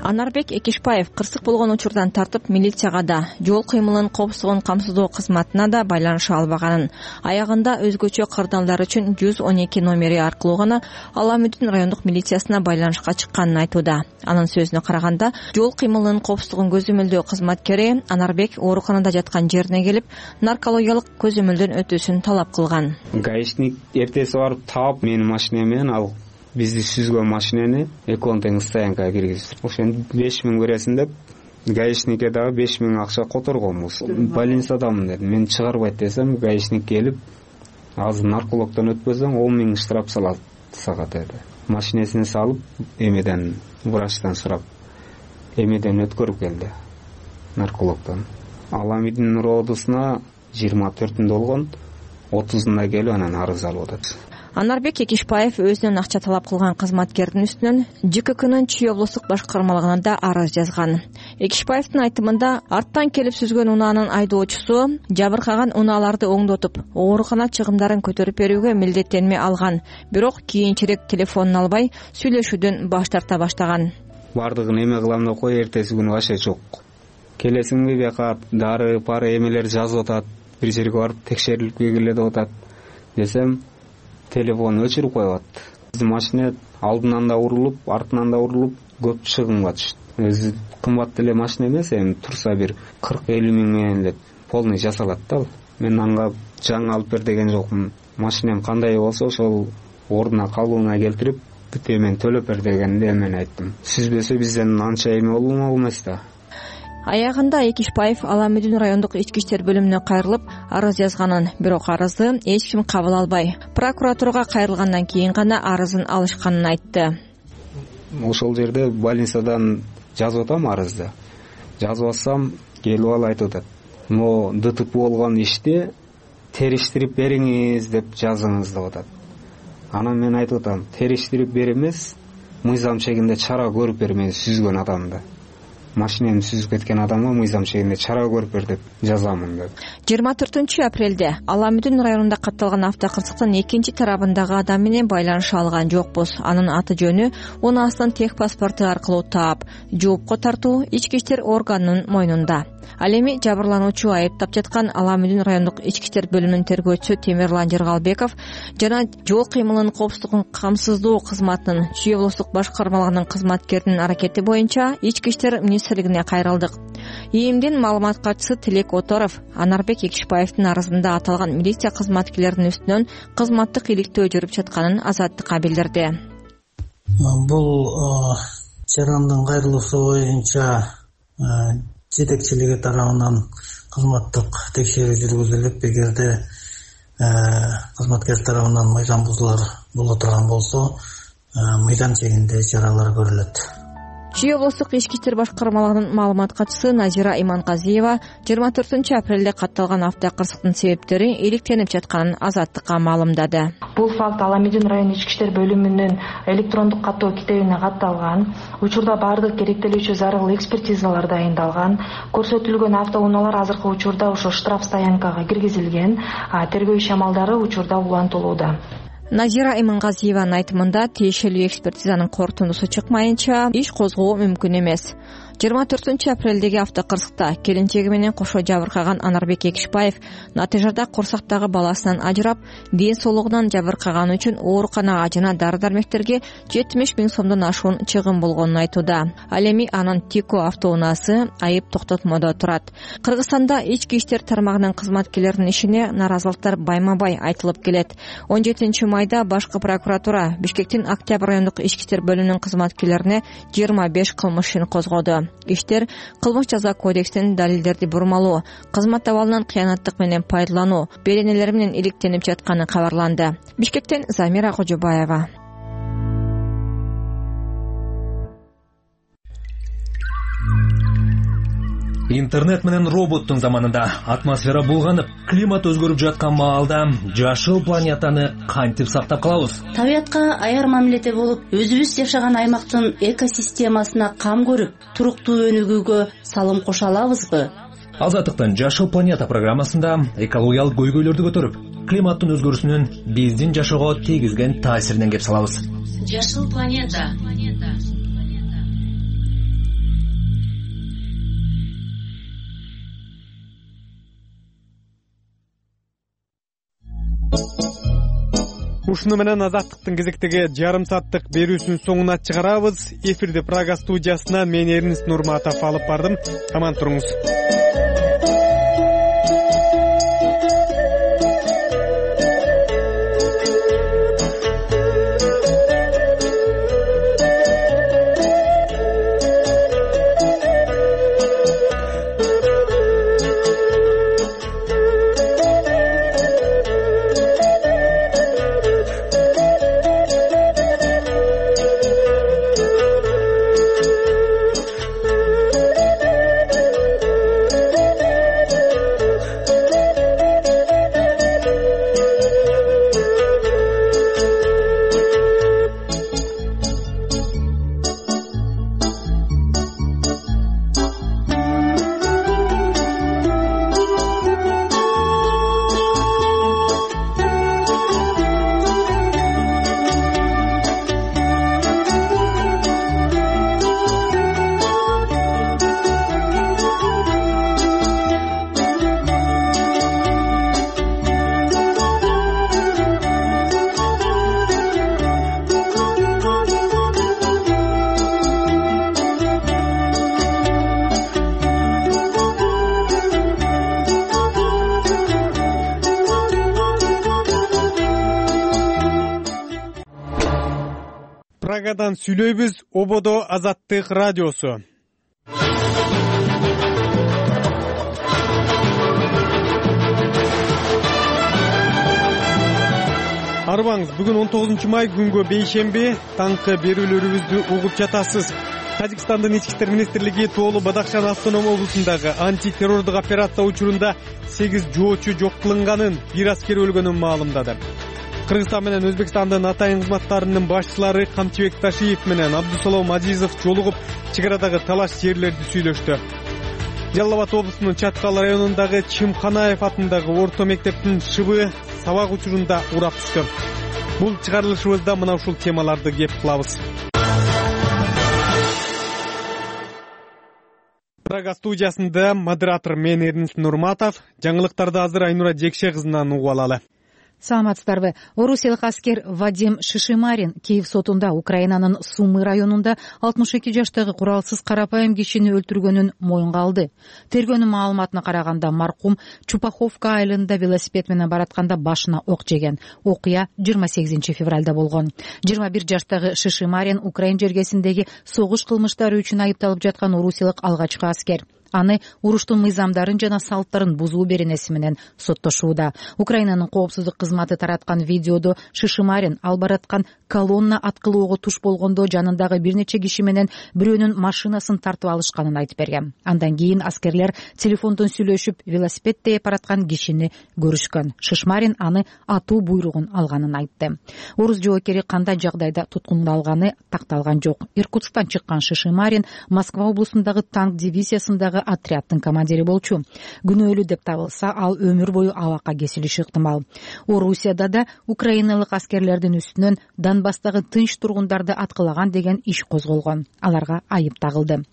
Анарбек Экишбаев кырсык болгон учурдан тартып милицияга да, жол кыймылынын коопсуздугун камсыздоо кызматына да байланыша албаганын, аягында өзгөчө кырдаалдар үчүн жүз он эки номери аркылуу гана Аламүдүн райондук милициясына байланышка чыкканын айтууда. Анын сөзүнө караганда, жол кыймылынын коопсуздугун көзөмөлдөө кызматкери Анарбек ооруканада жаткан жерине келип, наркологиялык көзөмөлдөн өтүүсүн талап кылган. Гаишник эртеси барып таап менин машинем менен ал бизди сүзгөн машинени экөөнү тең стоянкага киргизип, ошону беш миң бересиң деп, гаишникке дагы беш миң акча которгонбуз. Больницадамын дедим. Мен чыгарбайт десем, гаишник келип, азыр наркологдон өтпөсөң он миң штраф салат сага деди. Машинесин салып, эмеден врачтан сурап, эмеден өткөрүп келди наркологдон. Аламидин роодусуна жыйырма төртүндө болгон, отузунда келип анан арыз алып атат. Анарбек Экишбаев өзүнөн акча талап кылган кызматкердин үстүнөн ЖККнын Чүй облустук башкармалыгына да арыз жазган. Экишбаевдин айтымында, арттан келип сүзгөн унаанын айдоочусу жабыркаган унааларды оңдотуп, оорукана чыгымдарын көтөрүп берүүгө милдеттенме алган, бирок кийинчерээк телефонун албай сүйлөшүүдөн баш тарта баштаган. Бардыгын эме кылам деп кой, эртеси күнү вообще жок. Келесиңби бияка дары, пары эмелер жазып атат. бир жерге барып текшерилип келгиле деп атат десем, телефон өчүрүп коюп атат. Биздин машина алдынан да урулуп, артынан да урулуп көп чыгымга түштү. Өзү кымбат деле машина эмес, эми турса бир кырк элүү миң менен эле полный жасалат да. Мен анга жаңы алып бер деген жокмун. Машинем кандай болсо ошол ордуна калыбына келтирип, бүт эмен төлөп бер дегенде мен айттым. Сүзбөсө бизден анча эме болмок эмес да. Аягында Экишбаев Аламүдүн райондук ички иштер бөлүмүнө кайрылып арыз жазганын, бирок арызды эч ким кабыл албай, прокуратурага кайрылгандан кийин гана арызын алышканын айтты. Ошол жерде больницадан жазып атам арызды. Жазып атсам, келип алып айтып атат. Но ДТП болгон ишти териштирип бериңиз деп жазыңыз деп атат. Анан мен айтып атам, териштирип бер эмес, мыйзам чегинде чара көрүп бер мени сүзгөн адамды. Машинемди сүзүп кеткен адамга мыйзам чегинде чара көрүп бер деп жазамын деп. жыйырма төртүнчү апрелде Аламүдүн районунда катталган автокырсыктын экинчи тарабындагы адам менен байланыша алган жокпуз. Анын аты жөнү унаасынын тех паспорту аркылуу таап, жоопко тартуу ички иштер органынын мойнунда. Ал эми жабырлануучу айыптап жаткан Аламүдүн райондук ички иштер бөлүмүнүн тергөөчүсү Темирлан Жыргалбеков жана жол кыймылынын коопсуздугун камсыздоо кызматынын Чүй облустук башкармалыгынын кызматкеринин аракети боюнча ички иштер министрлигине кайрылдык. ИИМдин маалымат катчысы Тилек Оторов Анарбек Экишбаевдин арызында аталган милиция кызматкерлеринин үстүнөн кызматтык иликтөө жүрүп жатканын Азаттыкка билдирди. Бул жарандын кайрылуусу боюнча жетекчилиги тарабынан кызматтык текшерүү жүргүзүлүп, эгерде кызматкер тарабынан мыйзам бузуулар боло турган болсо, мыйзам чегинде чаралар көрүлөт. Чүй облустук ички иштер башкармалыгынын маалымат катчысы Назира Иманказиева жыйырма төртүнчү апрелде катталган автокырсыктын себептери иликтенип жатканын Азаттыкка маалымдады. Бул факт Аламүдүн район ички иштер бөлүмүнүн электрондук каттоо китебине катталган. Учурда бардык керектелүүчү зарыл экспертизалар дайындалган. Көрсөтүлгөн автоунаалар азыркы учурда ошо штраф стоянкага киргизилген. Тергөө иш амалдары учурда улантылууда. Назира Иманказиеванын айтымында тиешелүү экспертизанын корутундусу чыкмайынча иш козгоо мүмкүн эмес. жыйырма төртүнчү апрелдеги автокырсыкта келинчеги менен кошо жабыркаган Анарбек Экишбаев натыйжада курсактагы баласынан ажырап, ден соолугунан жабыркаганы үчүн ооруканага жана дары-дармектерге жетимиш миң сомдон ашуун чыгым болгонун айтууда. Ал эми анын Тико автоунаасы айып токтотмодо турат. Кыргызстанда ички иштер тармагынын кызматкерлеринин ишине наразылыктар байма-бай айтылып келет. он жетинчи майда башкы прокуратура Бишкектин Октябрь райондук ички иштер бөлүмүнүн кызматкерлерине жыйырма беш кылмыш ишин козгоду. Иштер кылмыш жаза кодексинин далилдерди бурмалоо, кызмат абалынан кыянаттык менен пайдалануу беренелери менен иликтенип жатканы кабарланды. Бишкектен Замира Кожобаева. Интернет менен роботтун заманында атмосфера булганып, климат өзгөрүп жаткан маалда жашыл планетаны кантип сактап калабыз? Табиятка аяр мамиледе болуп, өзүбүз жашаган аймактын экосистемасына кам көрүп, туруктуу өнүгүүгө салым кошо алабызбы? Азаттыктын Жашыл планета программасында экологиялык көйгөйлөрдү көтөрүп, климаттын өзгөрүүсүнүн биздин жашоого тийгизген таасиринен кеп салабыз. Жашыл планета. Ушуну менен Азаттыктын кезектеги жарым сааттык берүүсүнүн соңуна чыгарабыз. Эфирди Прага студиясына мен Эрнис Нурматов алып бардым. Аман туруңуз. Прагадан сүйлөйбүз. Ободо Азаттык радиосу. Арыбаңыз, бүгүн он тогузунчу май күнгө бейшемби, таңкы берүүлөрүбүздү угуп жатасыз. Тажикстандын ички иштер министрлиги Тоолу Бадахшан автоном облусундагы антитеррордук операция учурунда сегиз жоочу жок кылынганын, бир аскер өлгөнүн маалымдады. Кыргызстан менен Өзбекстандын атайын кызматтарынын башчылары Камчыбек Ташиев менен Абдусалом Азизов жолугуп, чек арадагы талаш жерлерди сүйлөштү. Жалал Абад облусунун Чаткал районундагы Чымканаев атындагы орто мектептин шыбы сабак учурунда урап түштү. Бул чыгарылышыбызда мына ушул темаларды кеп кылабыз. Прага студиясында модератор мен Эрнис Нурматов. Жаңылыктарды азыр Айнура Жекше кызынан угуп алалы. Саламатсыздарбы. Орусиялык аскер Вадим Шишимарин Киев сотунда Украинанын Сумы районунда алтымыш эки жаштагы куралсыз карапайым кишини өлтүргөнүн моюнга алды. Тергөөнүн маалыматына караганда маркум Чупаховка айылында велосипед менен баратканда башына ок жеген. Окуя жыйырма сегизинчи февралда болгон. жыйырма бир жаштагы Шишимарин Украин жергесиндеги согуш кылмыштары үчүн айыпталып жаткан орусиялык алгачкы аскер. Аны уруштун мыйзамдарын жана салттарын бузуу беренеси менен соттошууда. Украинанын коопсуздук кызматы тараткан видеодо Шишимарин ал бараткан колонна аткылоого туш болгондо жанындагы бир нече киши менен бирөөнүн машинасын тартып алышканын айтып берген. Андан кийин аскерлер телефондон сүйлөшүп, велосипед тээп бараткан кишини көрүшкөн. Шишимарин аны атуу буйругун алганын айтты. Орус жоокери кандай жагдайда туткундалганы такталган жок. Иркутсктан чыккан Шишимарин Москва облусундагы танк дивизиясындагы отрядтын командири болчу. Күнөөлүү деп табылса, ал өмүр бою абакка кесилиши ыктымал. Орусияда да украиналык аскерлердин үстүнөн Донбасстагы тынч тургундарды аткылаган деген иш козголгон. Аларга айып тагылды.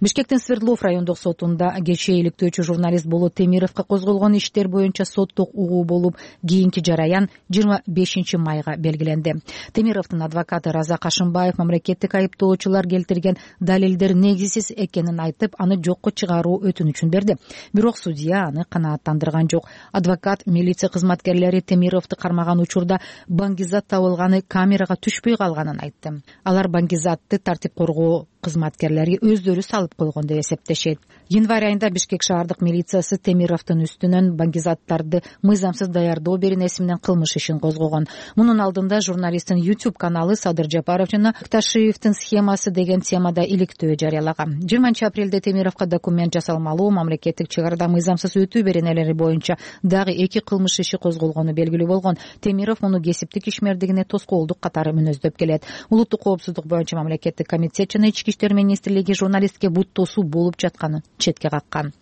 Бишкектин Свердлов райондук сотунда кечээ иликтөөчү журналист Болот Темировго козголгон иштер боюнча соттук угуу болуп, кийинки жараян жыйырма бешинчи майга белгиленди. Темировдун адвокаты Раза Кашымбаев мамлекеттик айыптоочулар келтирген далилдер негизсиз экенин айтып, аны жокко чыгаруу өтүнүчүн берди. Бирок судья аны канааттандырган жок. Адвокат милиция кызматкерлери Темировду кармаган учурда баңгизат табылганы камерага түшпөй калганын айтты. Алар баңгизатты тартип коргоо кызматкерлери өздөрү салып койгон деп эсептешет. Январь айында Бишкек шаардык милициясы Темировдун үстүнөн баңгизаттарды мыйзамсыз даярдоо беренеси менен кылмыш ишин козгогон. Мунун алдында журналисттин YouTube каналы Садыр Жапаров жана Ташиевдин схемасы деген темада иликтөө жарыялаган. жыйырманчы апрелде Темировго документ жасалмалуу мамлекеттик чек арада мыйзамсыз өтүү беренелери боюнча дагы эки кылмыш иши козголгону белгилүү болгон. Темиров муну кесиптик ишмердигине тоскоолдук катары мүнөздөп келет. Улуттук коопсуздук боюнча мамлекеттик комитет жана ички иштер министрлиги журналистке бут тосуу болуп жатканын четке каккан.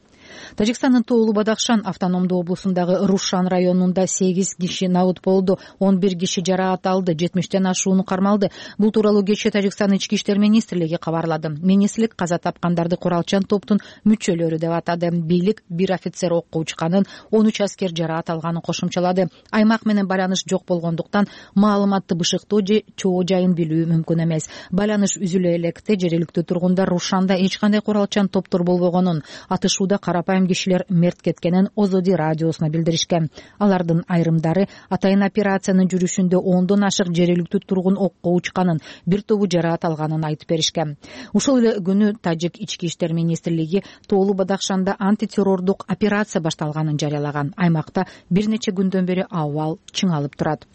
Тажикстандын Тоолу Бадахшан автономдуу облусундагы Рушан районунда сегиз киши набыт болду, он бир киши жараат алды, жетимиштен ашууну кармалды. Бул тууралуу кечээ Тажикстандын ички иштер министрлиги кабарлады. Министрлик каза тапкандарды куралчан топтун мүчөлөрү деп атады. Бийлик бир офицер окко учканын, он үч аскер жараат алганын кошумчалады. Аймак менен байланыш жок болгондуктан маалыматты бышыктоо же чоо жайын билүү мүмкүн эмес. Байланыш үзүлө электе жергиликтүү тургундар Рушанда эч кандай куралчан топтор болбогонун, атышууда карапайым кишилер мерт кеткенин Озоди радиосуна билдиришкен. Алардын айрымдары атайын операциянын жүрүшүндө ондон ашык жергиликтүү тургун окко учканын, бир тобу жараат алганын айтып беришкен. Ушул эле күнү Тажик ички иштер министрлиги Тоолу Бадахшанда антитеррордук операция башталганын жарыялаган. Аймакта бир нече күндөн бери абал чыңалып турат.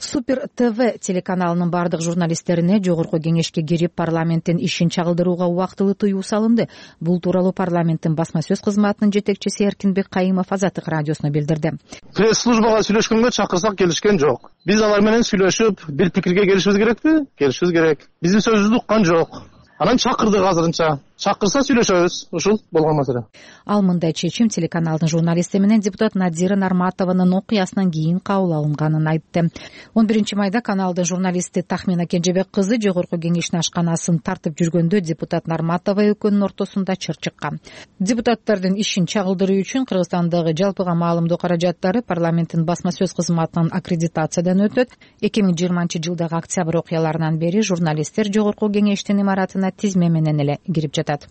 Супер ТВ телеканалынын бардык журналисттерине жогорку кеңешке кирип парламенттин ишин чагылдырууга убактылуу тыюу салынды. Бул тууралуу парламенттин басма сөз кызматынын жетекчиси Эркинбек Кайымов Азаттык радиосуна билдирди. Пресс-службага сүйлөшкөнгө чакырсак келишкен жок. Биз алар менен сүйлөшүп, бир пикирге келишибиз керекпи? Келишибиз керек. Биздин сөзүбүздү уккан жок. Анан чакырдык азырынча. Чакырса сүйлөшөбүз. Ушул болгон маселе. Ал мындай чечим телеканалдын журналисти менен депутат Надира Нарматованын окуясынан кийин кабыл алынганын айтты. он биринчи майда каналдын журналисти Тахмина Кенжебек кызы жогорку кеңештин ашканасын тартып жүргөндө депутат Нарматова экөөнүн ортосунда чыр чыккан. Депутаттардын ишин чагылдыруу үчүн Кыргызстандагы жалпыга маалымдоо каражаттары парламенттин басма сөз кызматынан аккредитациядан өтөт. эки миң жыйырманчы жылдагы октябрь окуяларынан бери журналисттер жогорку кеңештин имаратына тизме менен эле кирип жатат.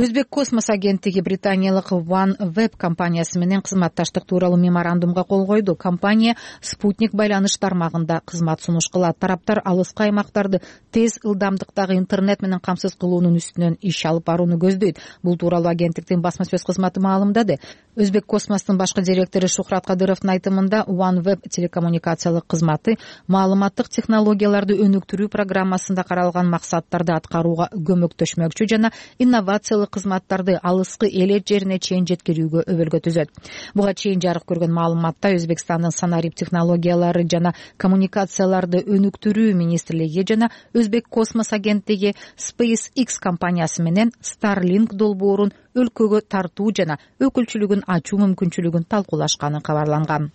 Өзбек космос агенттиги британиялык OneWeb компаниясы менен кызматташтык тууралуу меморандумга кол койду. Компания спутник байланыш тармагында кызмат сунуш кылат. Тараптар алыскы аймактарды тез ылдамдыктагы интернет менен камсыз кылуунун үстүнөн иш алып барууну көздөйт. Бул тууралуу агенттиктин басма сөз кызматы маалымдады. Өзбек космостун башкы директору Шухрат Кадыровдун айтымында OneWeb телекоммуникациялык кызматы маалыматтык технологияларды өнүктүрүү программасында каралган максаттарды аткарууга көмөктөшмөкчү жана инновациялык кызматтарды алыскы элет жерине чейин жеткирүүгө өбөлгө түзөт. Буга чейин жарык көргөн маалыматта Өзбекстандын санарип технологиялары жана коммуникацияларды өнүктүрүү министрлиги жана Өзбек космос агенттиги SpaceX компаниясы менен Starlink долбоорун өлкөгө тартуу жана өкүлчүлүгүн ачуу мүмкүнчүлүгүн талкуулашканы кабарланган.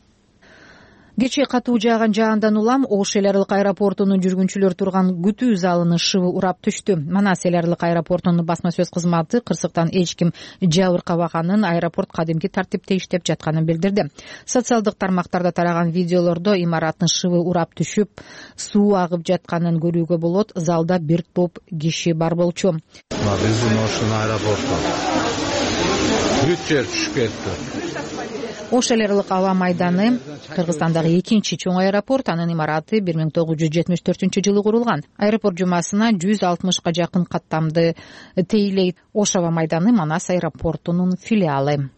Кечээ катуу жааган жаандан улам Ош эл аралык аэропортунун жүргүнчүлөр турган күтүү залынын шыбы урап түштү. Манас эл аралык аэропортунун басма сөз кызматы кырсыктан эч ким жабыркабаганын, аэропорт кадимки тартипте иштеп жатканын билдирди. Социалдык тармактарда тараган видеолордо имараттын шыбы урап түшүп, суу агып жатканын көрүүгө болот. Залда бир топ киши бар болчу. Биздин Оштун аэропорту бүт жер түшүп кетти. Ош эл аралык аба майданы Кыргызстандагы экинчи чоң аэропорт. Анын имараты бир миң тогуз жүз жетимиш төртүнчү жылы курулган. Аэропорт жумасына жүз алтымышка жакын каттамды тейлейт. Ош аба майданы Манас аэропортунун филиалы.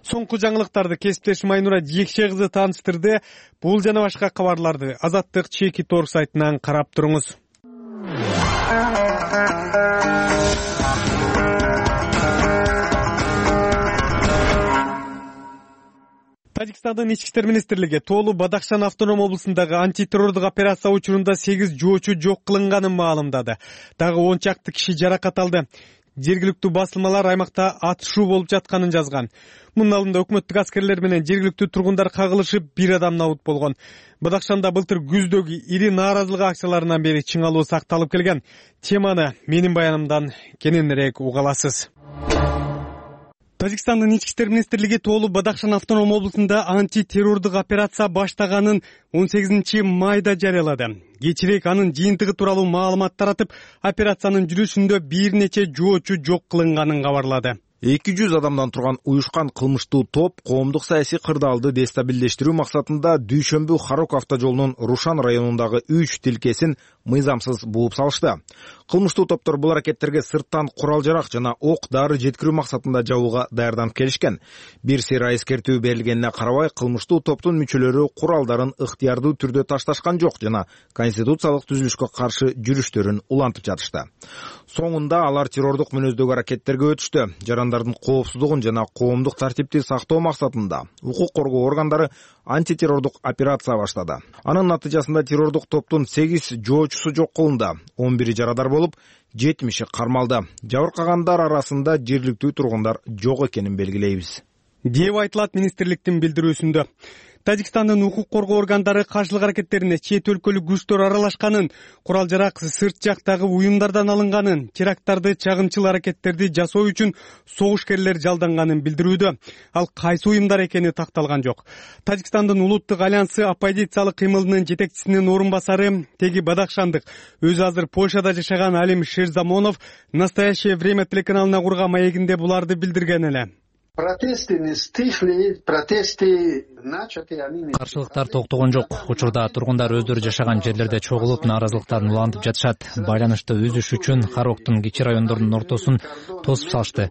Соңку жаңылыктарды кесиптешим Айнура Жекше кызы тааныштырды. Бул жана башка кабарларды Азаттык Чекит орг сайтынан карап туруңуз. Тажикстандын ички иштер министрлиги Тоолу Бадахшан автоном облусундагы антитеррордук операция учурунда сегиз жоочу жок кылынганын маалымдады. Дагы он чакты киши жаракат алды. Жергиликтүү басылмалар аймакта атышуу болуп жатканын жазган. Мунун алдында өкмөттүк аскерлер менен жергиликтүү тургундар кагылышып, бир адам набут болгон. Бадахшанда былтыр күздөгү ири нааразылык акцияларынан бери чыңалуу сакталып келген. Теманы менин баянымдан кененирээк уга аласыз. Тажикстандын ички иштер министрлиги Тоолу Бадахшан автоном облусунда антитеррордук операция баштаганын он сегизинчи майда жарыялады. Кечирээк анын жыйынтыгы тууралуу маалымат таратып, операциянын жүрүшүндө бир нече жоочу жок кылынганын кабарлады. эки жүз адамдан турган уюшкан кылмыштуу топ коомдук саясий кырдаалды дестабилдештирүү максатында Дүйшөмбү Харок автожолунун Рушан районундагы үч тилкесин мыйзамсыз бууп салышты. Кылмыштуу топтор бул аракеттерге сырттан курал жарак жана ок дары жеткирүү максатында жабууга даярданып келишкен. Бир сыйра эскертүү берилгенине карабай, кылмыштуу топтун мүчөлөрү куралдарын ыктыярдуу түрдө ташташкан жок жана конституциялык түзүлүшкө каршы жүрүштөрүн улантып жатышты. Соңунда алар террордук мүнөздөгү аракеттерге өтүштү. Жарандардын коопсуздугун жана коомдук тартипти сактоо максатында укук коргоо органдары антитеррордук операция баштады. Анын натыйжасында террордук топтун сегиз жоочусу жок кылынды, он бири жарадар болуп, жетимиши кармалды. Жабыркагандар арасында жергиликтүү тургундар жок экенин белгилейбиз, деп айтылат министрликтин билдирүүсүндө. Тажикстандын укук коргоо органдары каршылык аракеттерине чет өлкөлүк күчтөр аралашканын, курал жарак сырт жактагы уюмдардан алынганын, теракттарды чагымчыл аракеттерди жасоо үчүн согушкерлер жалданганын билдирүүдө. Ал кайсы уюмдар экени такталган жок. Тажикстандын улуттук альянсы оппозициялык кыймылынын жетекчисинин орун басары, теги Бадахшандык, өзү азыр Польшада жашаган Алим Шерзамонов «Настоящее время» телеканалына курган маегинде буларды билдирген эле. Протесты не стихли, протесты начаты, они... Каршылыктар токтогон жок. Учурда тургундар өздөрү жашаган жерлерде чогулуп, нааразылыктарын улантып жатышат. Байланышты үзүш үчүн Хароктун кичи райондорунун ортосун тосуп салышты.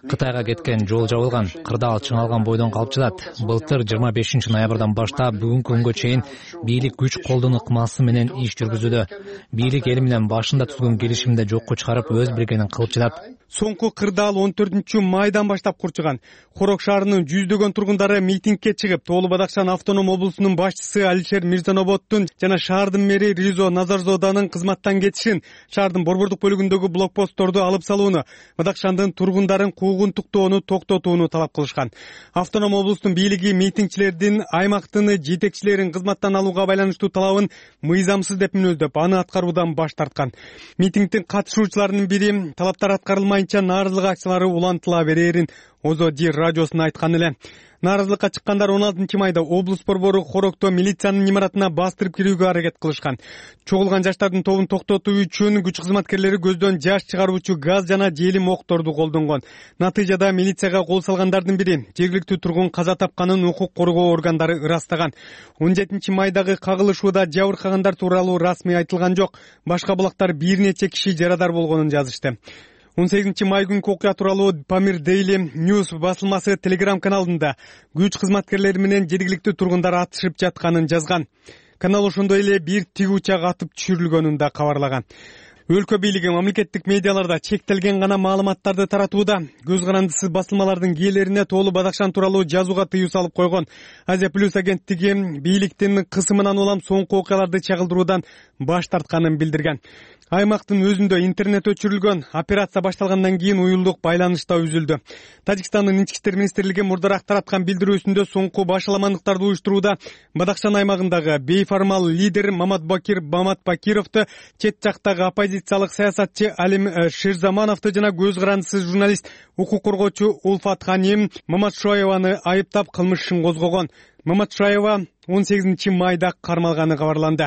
Кытайга кеткен жол жабылган, кырдаал чыңалган бойдон калып жатат. Былтыр жыйырма бешинчи ноябрдан баштап бүгүнкү күнгө чейин бийлик күч колдонуу ыкмасы менен иш жүргүзүүдө. Бийлик эл менен башында түзгөн келишимди жокко чыгарып, өз билгенин кылып жатат. Соңку кырдаал он төртүнчү майдан баштап курчуган. Хорок шаарынын жүздөгөн тургундары митингке чыгып, Тоолу Бадахшан автоном облусунун башчысы Алишер Мирзаноботтун жана шаардын мэри Ризо Назарзоданын кызматтан кетишин, шаардын борбордук бөлүгүндөгү блокпостторду алып салууну, Бадахшандын тургундарын куугунтуктоону токтотууну талап кылышкан. Автоном облустун бийлиги митингчилердин аймактын жетекчилерин кызматтан алууга байланыштуу талабын мыйзамсыз деп мүнөздөп, аны аткаруудан баш тарткан. Митингдин катышуучуларынын бири талаптар аткарылмайынча нааразылык акциялары улантыла берерин, озоди радиосуна айткан эле. Нааразылыкка чыккандар он алтынчы майда облус борбору Хорокто милициянын имаратына бастырып кирүүгө аракет кылышкан. Чогулган жаштардын тобун токтотуу үчүн күч кызматкерлери көздөн жаш чыгаруучу газ жана желим окторду колдонгон. Натыйжада милицияга кол салгандардын бири жергиликтүү тургун каза тапканын укук коргоо органдары ырастаган. он жетинчи майдагы кагылышууда жабыркагандар тууралуу расмий айтылган жок. Башка булактар бир нече киши жарадар болгонун жазышты. он сегизинчи май күнкү окуя тууралуу Pamir Daily News басылмасы Telegram каналында күч кызматкерлери менен жергиликтүү тургундар атышып жатканын жазган. Канал ошондой эле бир тиг учак атып түшүрүлгөнүн да кабарлаган. Өлкө бийлиги мамлекеттик медиаларда чектелген гана маалыматтарды таратууда, көз карандысыз басылмалардын кээлерине тоолуу Бадакшан тууралуу жазууга тыюу салып койгон. Азия плюс агенттиги бийликтин кысымынан улам соңку окуяларды чагылдыруудан баш тартканын билдирген. Аймактын өзүндө интернет өчүрүлгөн. Операция башталгандан кийин уюлдук байланыш да үзүлдү. Тажикстандын ички иштер министрлиги мурдараак тараткан билдирүүсүндө соңку башаламандыктарды уюштурууда Бадакшан аймагындагы бейформал лидер Маматбакир Баматбакировду, чет жактагы оппозициялык саясатчы Алим Шерзамановду жана көз карандысыз журналист, укук коргоочу Улфат Ханим Маматшоеваны айыптап кылмыш ишин козгогон. Маматшаева он сегизинчи майда кармалганы кабарланды.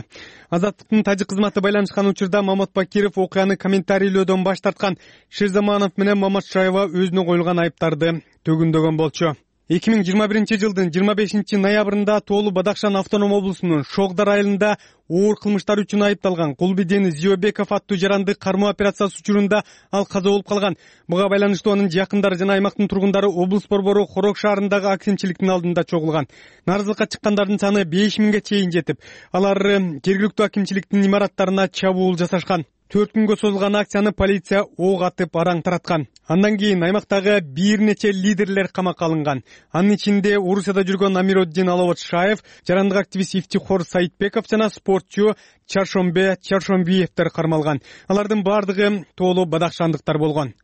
Азаттыктын тажик кызматы байланышкан учурда Маматбакиров окуяны комментарийлөөдөн баш тарткан. Шерзаманов менен Маматшаева өзүнө коюлган айыптарды төгүндөгөн болчу. эки миң жыйырма биринчи жылдын жыйырма бешинчи ноябрында тоолуу Бадакшан автоном облусунун Шогдар айылында оор кылмыштар үчүн айыпталган Кулбиден Зиобеков аттуу жаранды кармоо операциясы учурунда ал каза болуп калган. Буга байланыштуу анын жакындары жана аймактын тургундары облус борбору Хорок шаарындагы акимчиликтин алдында чогулган. Нааразылыкка чыккандардын саны беш миңге чейин жетип, алар жергиликтүү акимчиликтин имараттарына чабуул жасашкан. төрт күнгө созулган акцияны полиция ок атып араң тараткан. Андан кийин аймактагы бир нече лидерлер камакка алынган. Анын ичинде Орусияда жүргөн Амироддин Аловатшаев, жарандык активист Ифтихор Саитбеков жана спортчу Чаршомбе Чаршомбиевдер кармалган. Алардын бардыгы тоолуу бадакшандыктар болгон.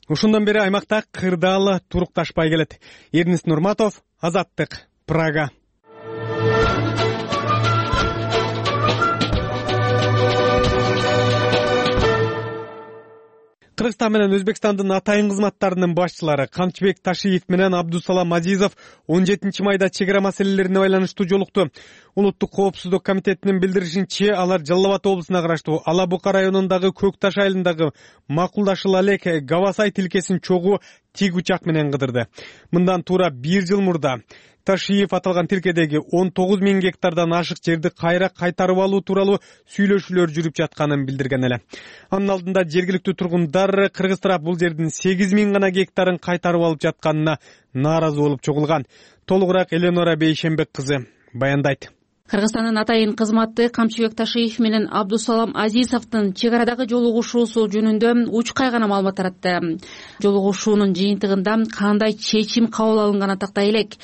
Ошондон бери аймакта кырдаал турукташпай келет. Эрнис Нурматов, Азаттык, Прага. Кыргызстан менен Өзбекстандын атайын кызматтарынын башчылары Камчыбек Ташиев менен Абдусалам Азизов он жетинчи майда чек ара маселелерине байланыштуу жолукту. Улуттук коопсуздук комитетинин билдиришинче, алар Жалал Абад облусуна караштуу Ала Бука районундагы Көк Таш айылындагы Макулдашыл элек Гавасай тилкесин чогуу тиг учак менен кыдырды. Мындан туура бир жыл мурда Ташиев аталган тилкедеги он тогуз миң гектардан ашык жерди кайра кайтарып алуу тууралуу сүйлөшүүлөр жүрүп жатканын билдирген эле. Анын алдында жергиликтүү тургундар кыргыз тарап бул жердин сегиз миң гана гектарын кайтарып алып жатканына нааразы болуп чогулган. Толугураак Эленора Бейшембек кызы баяндайт. Кыргызстандын атайын кызматы Камчыбек Ташиев менен Абдусалам Азизовдун чек арадагы жолугушуусу жөнүндө учкай гана маалымат таратты. Жолугушуунун жыйынтыгында кандай чечим кабыл алынганы тактай элек.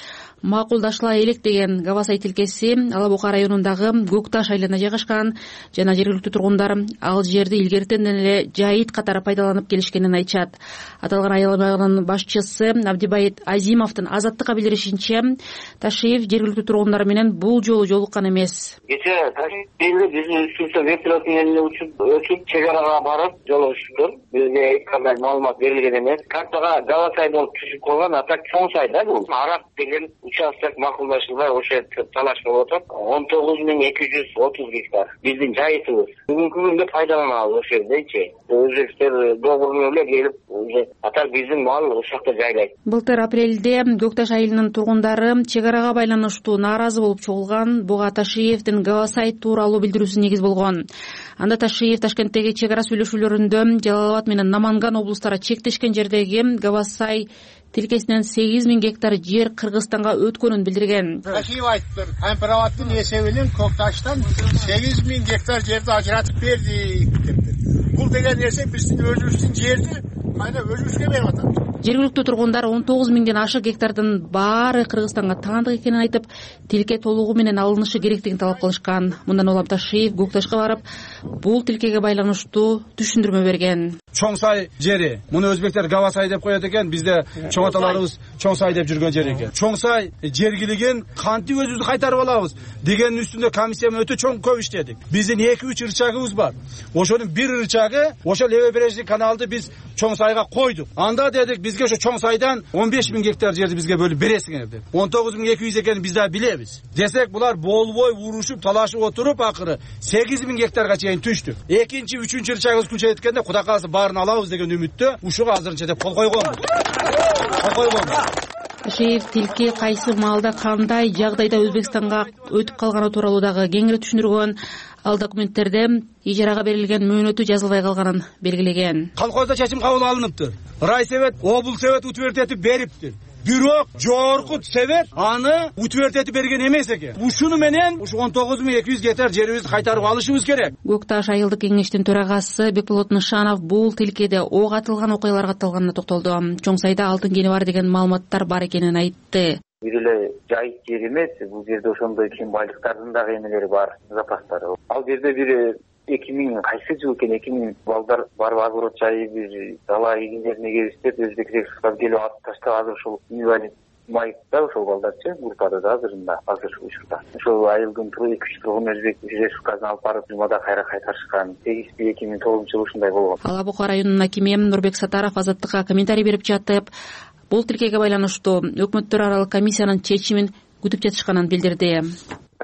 Макулдашыла элек деген Гавасай тилкеси Ала Бука районундагы Көк Таш айылына жайгашкан жана жергиликтүү тургундар ал жерди илгертен эле жайыт катары пайдаланып келишкенин айтышат. Аталган айылдын башчысы Абдибайит Азимовдун Азаттыкка билдиришинче, Ташиев жергиликтүү тургундар менен бул жолу жолуккан эмес. Кечээ Ташиев биздин үстүбүздө вертолеттун элине учуп өтүп чек арага барып жолугушуптур. Бизге эч кандай маалымат берилген эмес. Картага Гавасай болуп түшүп калган, а так чоң сайда бул. Арак деген участок макулдашылбай ошо талаш болуп атат. он тогуз миң эки жүз отуз гектар биздин жайытыбыз. Бүгүнкү күндө пайдаланабыз ошол жердечи. Өзбектер договоруна эле келип, уже атар биздин мал ошол жакта жайлайт. Былтыр апрелде Көк Таш айылынын тургундары чек арага байланыштуу нааразы болуп чогулган. Буга Ташиевдин Гавасай тууралуу билдирүүсү негиз болгон. Анда Ташиев Ташкенттеги чек ара сүйлөшүүлөрүндө Жалал Абад менен Наманган облустары чектешкен жердеги Гавасай тилкесинен сегиз миң гектар жер Кыргызстанга өткөнүн билдирген. Ташиев айтыптыр, Кампирабадтын эсебинен Көк Таштан сегиз миң гектар жерди ажыратып бердик дептир. Бул деген нерсе биздин өзүбүздүн жерди кайра өзүбүзгө берип атат. Жергиликтүү тургундар он тогуз миңден ашык гектардын баары Кыргызстанга таандык экенин айтып, тилке толугу менен алынышы керектигин талап кылышкан. Мындан улам Ташиев Көк Ташка барып, бул тилкеге байланыштуу түшүндүрмө берген. чоң сай жери. Муну өзбектер Гава сай деп коет экен, бизде чоң аталарыбыз чоң сай деп жүргөн жер экен. Чоң сай жергилигин кантип өзүбүз кайтарып алабыз дегенин үстүндө комиссия өтө чоң көп иштедик. Биздин эки үч ырчагыбыз бар. Ошонун бир ырчагы ошол левобережный каналды биз чоң сайга койдук. Анда дедик, бизге ошо чоң сайдан он беш миң гектар жерди бизге бөлүп бересиңер деп. он тогуз миң эки жүз экенин биз да билебиз. Десек, булар болбой урушуп, талашып отуруп, акыры сегиз миң гектарга чейин түштүк. Экинчи, үчүнчү ырчагыбыз күнчө эткенде Кудай кааласа баарын алабыз деген үмүттө ушуга азырынча деп кол койгонбуз. Кол койгонбуз. Шейир тилки кайсы маалда кандай жагдайда Өзбекстанга өтүп калганы тууралуу дагы кеңири түшүндүргөн. Ал документтерде ижарага берилген мөөнөтү жазылбай калганын белгилеген. Колхоздо чечим кабыл алыныптыр. Райсовет, облус совет утвертетип бериптир. Бирок жогорку совет аны утвертетип берген эмес экен. Ушуну менен ушу он тогуз миң эки жүз гектар жерибизди кайтарып алышыбыз керек. Көк Таш айылдык кеңештин төрагасы Бекболот Нышанов бул тилкеде ок атылган окуялар катталганына токтолду. Чоң сайда алтын кени бар деген маалыматтар бар экенин айтты. Бир эле жайыт жер эмес, бул жерде ошондой кен байлыктардын дагы эмелери бар, запастары. Ал жерде бир эки миң кайсы жыл экен, эки миң балдар барып огород жайып, бир дала эгиндерине келиштеп, өзбек рекшага келип атып таштап, азыр ошол инвалид майытта ошол балдарчы группада да азырында, азыр учурда. Ошол айылдын эки үч тургун өзбек республикасына алып барып, жумада кайра кайтарышкан. Сегизинчи эки миң тогузунчу жылы ушундай болгон. Ала Бука районунун акими Нурбек Сатаров Азаттыкка комментарий берип жатып, бул тилкеге байланыштуу өкмөттөр аралык комиссиянын чечимин күтүп жатышканын билдирди.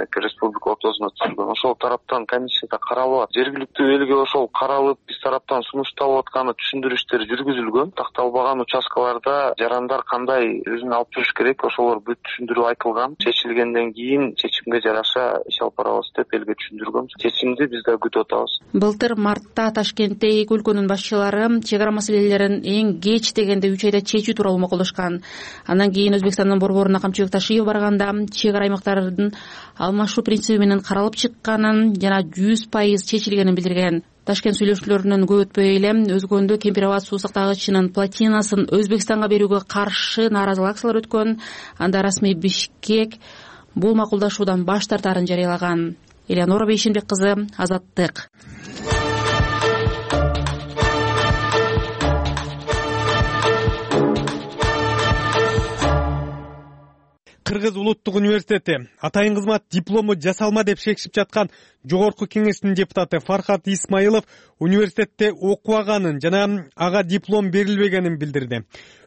Республика ортосуна түшүргөн ошол тараптан комиссияда каралып атат. Жергиликтүү элге ошол каралып, биз тараптан сунушталып атканы түшүндүрүү иштери жүргүзүлгөн. Такталбаган участкаларда жарандар кандай өзүн алып жүрүш керек, ошолор бүт түшүндүрүү айтылган. Чечилгенден кийин чечимге жараша иш алып барабыз деп элге түшүндүргөнбүз. Чечимди биз да күтүп атабыз. Былтыр мартта Ташкентте эки өлкөнүн башчылары чек ара маселелерин эң кеч дегенде үч айда чечүү тууралуу макулдашкан. Андан кийин Өзбекстандын борборуна Камчыбек Ташиев барганда чек ара аймактардын алмашуу принциби менен каралып чыкканын жана жүз пайыз чечилгенин билдирген. Ташкент сүйлөшүүлөрүнөн көп өтпөй эле Өзгөндө Кемпирабад суу сактагычынын плотинасын Өзбекстанга берүүгө каршы нааразылык акциялар өткөн. Анда расмий Бишкек бул макулдашуудан баш тартаарын жарыялаган. Элеонора Бейшенбек кызы, Азаттык. Кыргыз улуттук университети атайын кызмат диплому жасалма деп шекишип жаткан жогорку кеңештин депутаты Фархат Исмаилов университетте окубаганын жана ага диплом берилбегенин билдирди.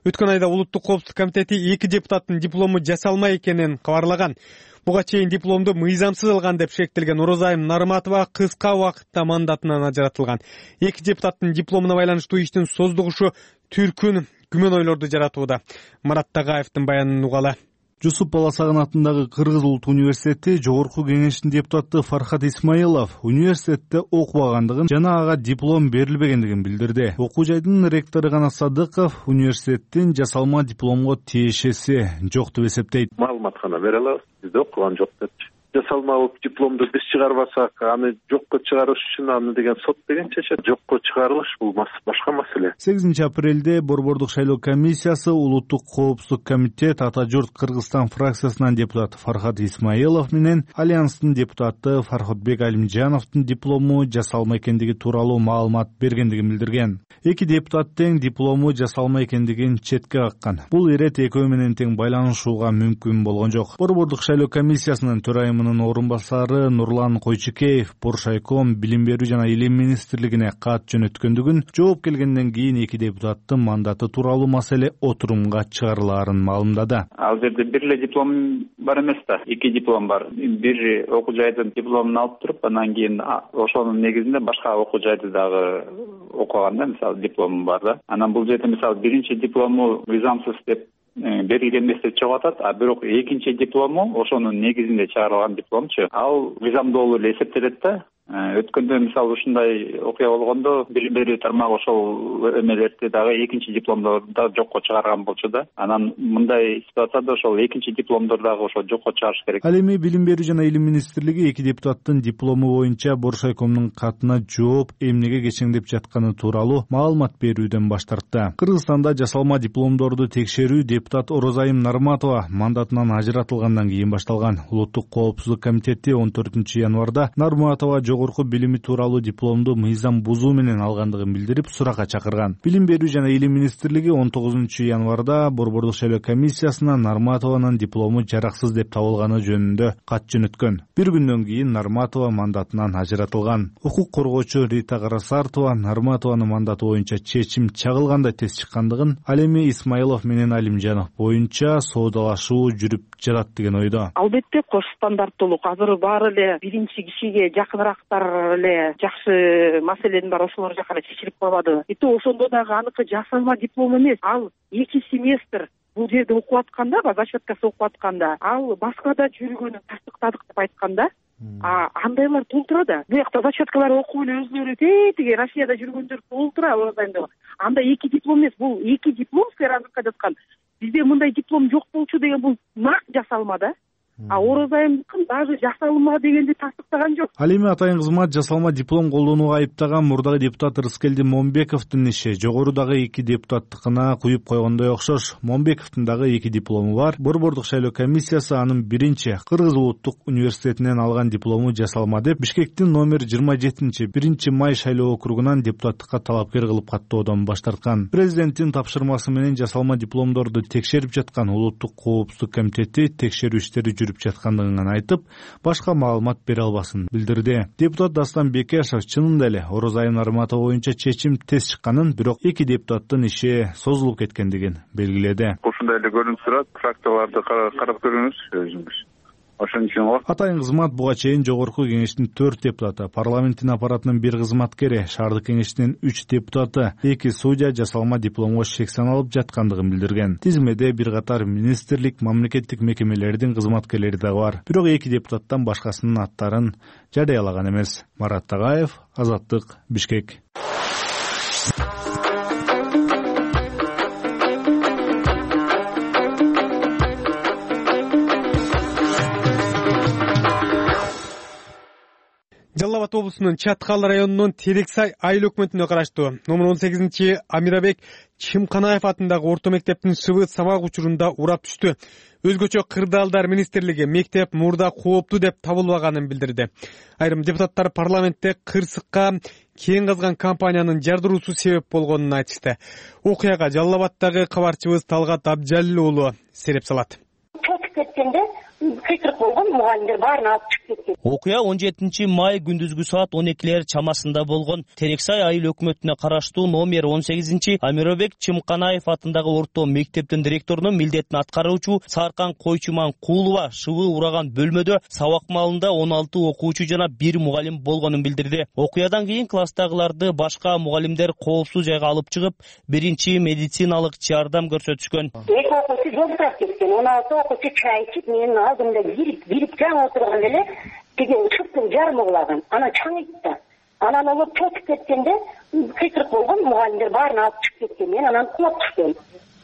Өткөн айда улуттук коопсуздук комитети эки депутаттын диплому жасалма экенин кабарлаган. Буга чейин дипломду мыйзамсыз алган деп шектелген Орозайым Нарматова кыска убакытта мандатынан ажыратылган. Эки депутаттын дипломуна байланыштуу иштин создугушу түркүн күмөн ойлорду жаратууда. Марат Тагаевдин баянын угалы. Жусуп Баласагын атындагы Кыргыз улуттук университети жогорку кеңештин депутаты Фархат Исмаилов университетте окубагандыгын жана ага диплом берилбегендигин билдирди. Окуу жайдын ректору Канат Садыков университеттин жасалма дипломго тиешеси жок деп эсептейт. Маалымат гана бере алабыз, бизде окуган жок депчи. Жасалма дипломду биз чыгарбасак, аны жокко чыгарыш үчүн аны деген сот деген чечет. Жокко чыгарылыш бул башка маселе. сегизинчи апрелде борбордук шайлоо комиссиясы улуттук коопсуздук комитет Ата журт Кыргызстан фракциясынын депутаты Фархат Исмаилов менен Альянстын депутаты Фархотбек Алимжановдун диплому жасалма экендиги тууралуу маалымат бергендигин билдирген. Эки депутат тең диплому жасалма экендигин четке каккан. Бул ирет экөө менен тең байланышууга мүмкүн болгон жок. Борбордук шайлоо комиссиясынын төрайымы орун басары Нурлан Койчукеев Боршайком билим берүү жана илим министрлигине кат жөнөткөндүгүн, жооп келгенден кийин эки депутаттын мандаты тууралуу маселе отурумга чыгарылаарын маалымдады. Ал жерде бир эле диплом бар эмес да, эки диплом бар. Бир окуу жайдын дипломун алып туруп, андан кийин ошонун негизинде башка окуу жайды дагы окуганда, мисалы диплому бар да. Анан бул жерде мисалы биринчи диплому мыйзамсыз деп берилген эмес деп чыгып атат, а бирок экинчи диплому ошонун негизинде чыгарылган дипломчу. Ал мыйзамдуу эле эсептелет да. Өткөндө мисалы ушундай окуя болгондо билим берүү тармагы ошол эмелерди дагы экинчи дипломдорду да жокко чыгарган болчу да. Анан мындай ситуацияда ошол экинчи дипломдор дагы ошо жокко чыгарыш керек. Ал эми билим берүү жана илим министрлиги эки депутаттын диплому боюнча Боршайкомдун катына жооп эмнеге кечеңдеп жатканы тууралуу маалымат берүүдөн баш тартты. Кыргызстанда жасалма дипломдорду текшерүү депутат Орозайым Нарматова мандатынан ажыратылгандан кийин башталган. Улуттук коопсуздук комитети он төртүнчү январда Нарматова жогорку билими тууралуу дипломду мыйзам бузуу менен алгандыгын билдирип суракка чакырган. Билим берүү жана илим министрлиги он тогузунчу январда Борбордук шайлоо комиссиясына Нарматованын диплому жараксыз деп табылганы жөнүндө кат жөнөткөн. Бир күндөн кийин Нарматова мандатынан ажыратылган. Укук коргоочу Рита Карасартова Нарматованын мандаты боюнча чечим чагылгандай тез чыккандыгын, ал эми Исмаилов менен Алимжанов боюнча соодалашуу жүрүп жатат деген ойдо. Албетте кош стандарттуулук азыр баары эле биринчи кишиге жакыныраактар эле жакшы маселенин баары ошолор жака эле чечилип калбады. И то ошондо дагы аныкы жасалма диплом эмес, ал эки семестр бул жерде окуп атканда, зачеткасы окуп атканда, ал Москвада жүргөнүн тастыктадык деп айтканда, а андайлар толтура да. Буякта зачеткалар окуп эле өзүлөрү тетиги Россияда жүргөндөр толтура Орозайымда. Анда эки диплом эмес, бул эки диплом сыйразыкка жаткан. Бизде мындай диплом жок болчу деген бул нак жасалма да. А Орозайымдыкын даже жасалма дегенди тастыктаган жок. Ал эми атайын кызмат жасалма диплом колдонууга айыптаган мурдагы депутат Рыскелди Момбековдун иши жогорудагы эки депутаттыкына куюп койгондой окшош. Момбековдун дагы эки диплому бар. Борбордук шайлоо комиссиясы анын биринчи Кыргыз улуттук университетинен алган диплому жасалма деп Бишкектин номер жыйырма жетинчи биринчи май шайлоо округунан депутаттыкка талапкер кылып каттоодон баш тарткан. Президенттин тапшырмасы менен жасалма дипломдорду текшерип жаткан улуттук коопсуздук комитети текшерүү иштери жүрүп жаткандыгын айтып, башка маалымат бере албасын билдирди. Депутат Дастан Бекешев чынында эле Орозайым Нарматова боюнча чечим тез чыкканын, бирок эки депутаттын иши созулуп кеткендигин белгиледи. Ушундай эле көрүнүп турат, фракцияларды карап көрүңүз өзүңүз. Ошон үчүн го атайын кызмат буга чейин жогорку кеңештин төрт депутаты, парламенттин аппаратынын бир кызматкери, шаардык кеңештин үч депутаты, эки судья жасалма дипломго шек саналып жаткандыгын билдирген. Тизмеде бир катар министрлик, мамлекеттик мекемелердин кызматкерлери дагы бар. Бирок эки депутаттан башкасынын аттарын жарыялаган эмес. Марат Тагаев, Азаттык, Бишкек. Жалал Абад облусунун Чаткал районунун Терексай айыл өкмөтүнө караштуу номер он сегизинчи Амирабек Чымканаев атындагы орто мектептин шыбы сабак учурунда урап түштү. Өзгөчө кырдаалдар министрлиги мектеп мурда кооптуу деп табылбаганын билдирди. Айрым депутаттар парламентте кырсыкка кең казган компаниянын жардыруусу себеп болгонун айтышты. Окуяга Жалал Абаддагы кабарчыбыз Талгат Абжалил уулу сереп салат. Чөкүп кеткенде кыйкырык болгон, мугалимдер баарын алып чыгып кеткен. Окуя он жетинчи май күндүзгү саат он экилер чамасында болгон. Терексай айыл өкмөтүнө караштуу номер он сегизинчи Амирабек Чымканаев атындагы орто мектептин директорунун милдетин аткаруучу Саркан Койчуман-Куулова шыбы ураган бөлмөдө сабак маалында он алты окуучу жана бир мугалим болгонун билдирди. Окуядан кийин класстагыларды башка мугалимдер коопсуз жайга алып чыгып, биринчи медициналык жардам көрсөтүшкөн. Эки окуучу жолдурап кеткен, он алты окуучу чай ичип, менин алдымда кирип, кирип жаңы отурган эле тиги ышыктын жарымы кулаган. Анан чаңыйт да. Анан олор чөкүп кеткенде кыйкырык болгон, мугалимдер баарын алып чыгып кеткен. Мен анан кулап түштүм.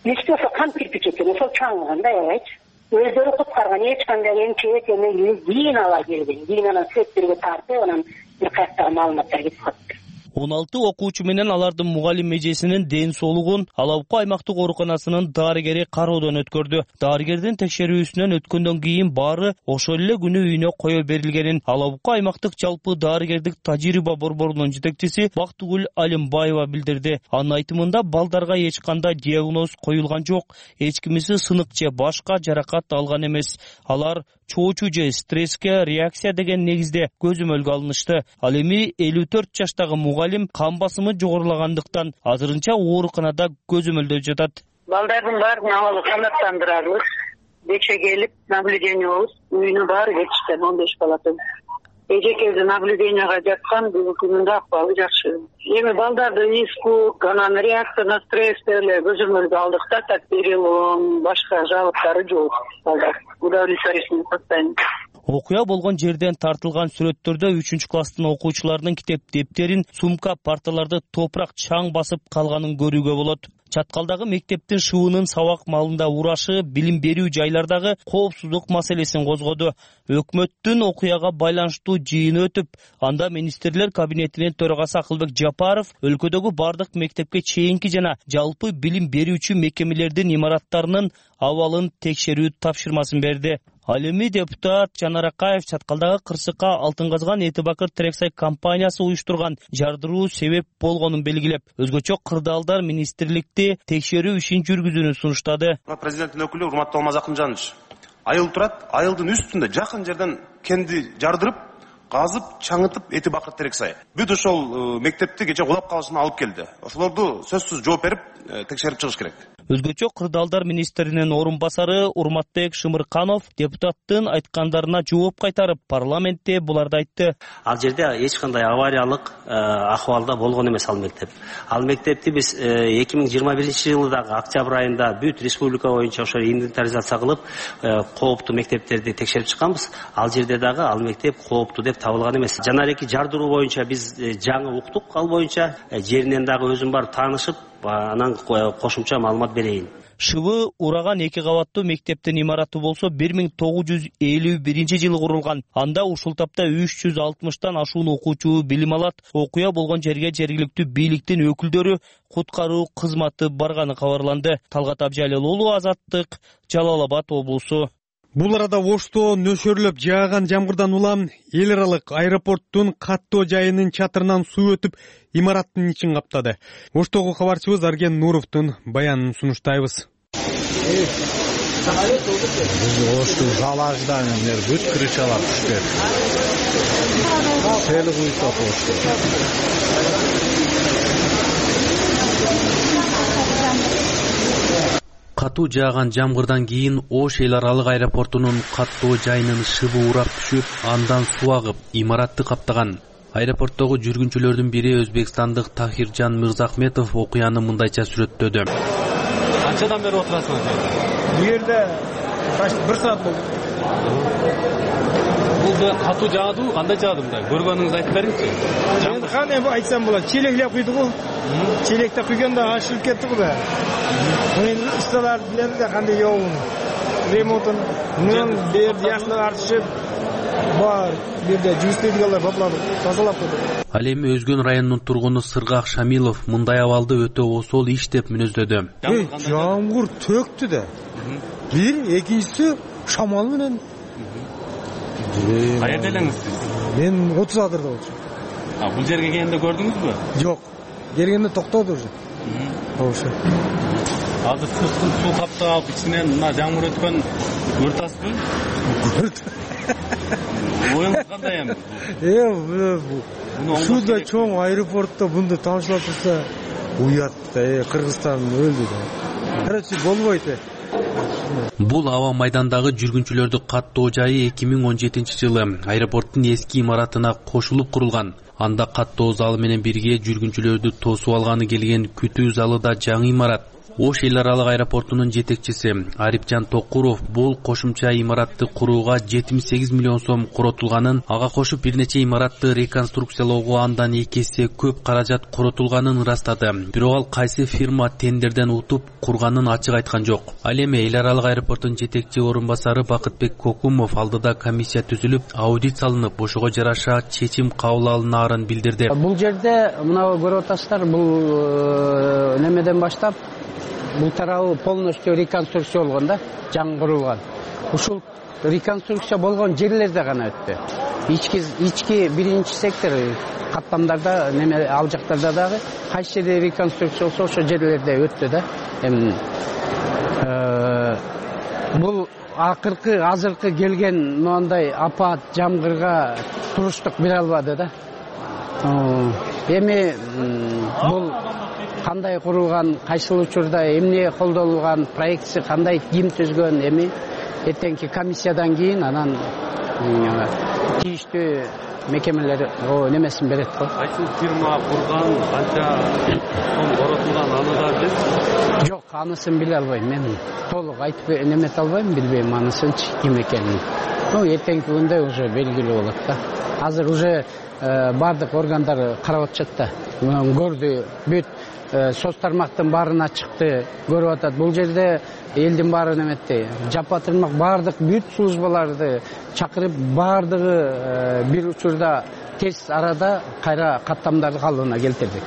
Эчки ошо кам кирпич экен, ошол чаңыган да, эч. Өздөрү куткарган, эч кандай эмчек эме кийин ала келген. Кийин анан сүрөттөргө тартып, анан бир каяктагы маалыматтар кетип калды. он алты окуучу менен алардын мугалим эжесинин ден соолугун Алабука аймактык ооруканасынын дарыгери кароодон өткөрдү. Дарыгердин текшерүүсүнөн өткөндөн кийин баары ошол эле күнү үйүнө кое берилгенин Алабука аймактык жалпы дарыгердик тажрыйба борборунун жетекчиси Бактыгүл Алимбаева билдирди. Анын айтымында балдарга эч кандай диагноз коюлган жок, эч кимиси сынык же башка жаракат алган эмес. Алар чоочу же стресске реакция деген негизде көзөмөлгө алынышты. Ал эми элүү төрт жаштагы мугалим кан басымы жогорулагандыктан азырынча ооруканада көзөмөлдө жатат. Балдардын баарын абалы канааттандырабыз. Кече келип наблюдениябыз, үйүнө баары кетишкен он беш балатын. Эжекеби наблюденияга жаткан, бүгүнкү күндө акыбалы жакшы. Эми балдардын иску, анан реакция на стресс эле көзөмөлгө алдык да, так перелом, башка жабыктары жок. Балдар удовлетворительный состояние. Окуя болгон жерден тартылган сүрөттөрдө үчүнчү класстын окуучуларынын китеп дептерин, сумка, парталарды топурак чаң басып калганын көрүүгө болот. Чаткалдагы мектептин шыбынын сабак маалында урашы билим берүү жайлардагы коопсуздук маселесин козгоду. Өкмөттүн окуяга байланыштуу жыйыны өтүп, анда министрлер кабинетинин төрагасы Акылбек Жапаров өлкөдөгү бардык мектепке чейинки жана жалпы билим берүүчү мекемелердин имараттарынын абалын текшерүү тапшырмасын берди. Ал эми депутат Жанар Акаев чаткалдагы кырсыкка Алтын казган Эти Бакыр Терексай компаниясы уюштурган жардыруу себеп болгонун белгилеп, өзгөчө кырдаалдар министрликти текшерүү ишин жүргүзүүнү сунуштады. Президенттин өкүлү урматтуу Алмаз Акынжанович, айыл турат, айылдын үстүндө жакын жерден кенди жардырып, казып, чаңытып Эти Бакыр Терексай. Бүт ошол мектепти кече кулап калышына алып келди. Ошолорду сөзсүз жооп берип, текшерип чыгыш керек. Өзгөчө кырдаалдар министринин орун басары Урматбек Шымырканов депутаттын айткандарына жооп кайтарып, парламентте буларды айтты. Ал жерде эч кандай авариялык акыбалда болгон эмес ал мектеп. Ал мектепти биз эки миң жыйырма биринчи жылдагы октябрь айында бүт республика боюнча ошо инвентаризация кылып, кооптуу мектептерди текшерип чыкканбыз. Ал жерде дагы ал мектеп кооптуу деп табылган эмес. Жанареки жардыруу боюнча биз жаңы уктук, ал боюнча жеринен дагы өзүм барып таанышып, анан кошумча маалымат берейин. Шыбы ураган эки кабаттуу мектептин имараты болсо бир миң тогуз жүз элүү биринчи жылы курулган. Анда ушул тапта үч жүз алтымыштан ашуун окуучу билим алат. Окуя болгон жерге жергиликтүү бийликтин өкүлдөрү, куткаруу кызматы барганы кабарланды. Талгат Абжалил уулу, Азаттык, Жалал Абад облусу. Бул арада Ошто нөшөрлөп жааган жамгырдан улам эл аралык аэропорттун каттоо жайынын чатырынан суу өтүп, имараттын ичин каптады. Оштогу кабарчыбыз Арген Нуровдун баянын сунуштайбыз. Биз Оштун залажданын бүт крышалар түшкөн. Сел куйсак Ошто. Катуу жааган жамгырдан кийин Ош эл аралык аэропортунун каттоо жайынын шыбы урап түшүп, андан суу агып, имаратты каптаган. Аэропорттогу жүргүнчүлөрдүн бири өзбекстандык Тахиржан Мырзахметов окуяны мындайча сүрөттөдү. Канчадан бери отурасыңыз? Бул жерде бир саат болду. Бул катуу жаадыбы, кандай жаады мындай? Көргөнүңүздү айтып бериңизчи. Мен кандай айтсам болот? Челеклеп куйду го. Челекте куйганда ашылып кетти го да. Мен ustalar bilen de kандай yoğun. Remontun, bunun bir yaşlı artışıp var. Bir de cüsteydiğinler topladı, tazalap koydu. Ал эми Өзгөн районунун тургуну Сыргак Шамилов мындай абалды өтө осол иш деп мүнөздөдү. Жамгыр төктү да. Бир, экинчиси шамал менен. Кайерде элеңиз сиз? Мен отуз адырда болчу. А бул жерге келгенде көрдүңүзбү? Жок. Келгенде токтоду уже. Ошо. Азыр сырткын суу каптап, ичинен мына жамгыр өткөн көртасызбы? Көрт. Оюңуз кандай эми? Э, ушундай чоң аэропортто мындай таанышылып турса, уят да, э, Кыргызстан өлдү да. Короче, болбойт. Бул аба майдандагы жүргүнчүлөрдү каттоо жайы эки миң он жетинчи жылы аэропорттун эски имаратына кошулуп курулган. Анда каттоо залы менен бирге жүргүнчүлөрдү тосуп алганы келген күтүү залы да жаңы имарат. Ош эл аралык аэропортунун жетекчиси Арипжан Токуров бул кошумча имаратты курууга жетимиш сегиз миллион сом коротулганын, ага кошуп бир нече имаратты реконструкциялоого андан эки эсе көп каражат коротулганын ырастады. Бирок ал кайсы фирма тендерден утуп курганын ачык айткан жок. Ал эми эл аралык аэропорттун жетекчи орун басары Бакытбек Кокумов алдыда комиссия түзүлүп, аудит салынып, ошого жараша чечим кабыл алынаарын билдирди. Бул жерде мына көрүп атасыздар, бул немеден баштап бул тарабы полностью реконструкция болгон да, жаңы курулган. Ушул реконструкция болгон жерлерде гана өттү. Ички ички биринчи сектор каттамдарда неме ал жактарда дагы кайсы жерде реконструкция болсо ошол жерлерде өттү да. Эми бул акыркы азыркы келген мындай апат жамгырга туруштук бере албады да. Эми бул кандай курулган, кайсыл учурда эмне колдонулган, проектси кандай, ким түзгөн, эми эртеңки комиссиядан кийин анан тийиштүү мекемелер немесин берет го. Кайсы фирма курган, канча сом коротулган, аны да билесизби? Жок, анысын биле албайм. Мен толук айтып немете албайм, билбейм анысынчы ким экенин. Ну, эртеңки күндө уже белгилүү болот да. Азыр уже бардык органдар карап атышат да. Көрдү, бүт соц тармактын баарына чыкты, көрүп атат. Бул жерде элдин баары неметти. Жапа тырмак бардык бүт службаларды чакырып, бардыгы бир учурда тез арада кайра каттамдарды калыбына келтирдик.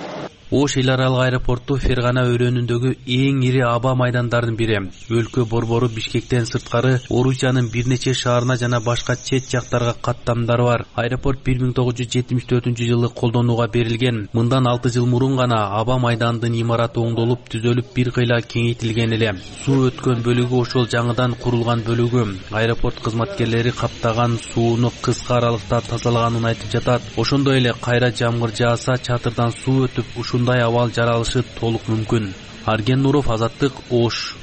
Ош эл аралык аэропорту Фергана өрөөнүндөгү эң ири аба майдандарынын бири. Өлкө борбору Бишкектен сырткары Орусиянын бир нече шаарына жана башка чет жактарга каттамдары бар. Аэропорт бир миң тогуз жүз жетимиш төртүнчү жылы колдонууга берилген. Мындан алты жыл мурун гана аба майданынын имараты оңдолуп, түзөлүп, бир кыйла кеңейтилген эле. Суу өткөн бөлүгү ошол жаңыдан курулган бөлүгү. Аэропорт кызматкерлери каптаган сууну кыска аралыкта тазалаганын айтып жатат. Ошондой эле кайра жамгыр жааса, чатырдан суу өтүп, ушундай абал жаралышы толук мүмкүн. Арген Нуров, Азаттык, Ош.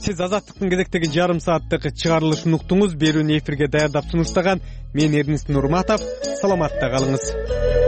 Сиз Азаттыктын кезектеги жарым сааттык чыгарылышын уктуңуз. Берүүнү эфирге даярдап сунуштаган мен Эрнис Нурматов. Саламатта калыңыз.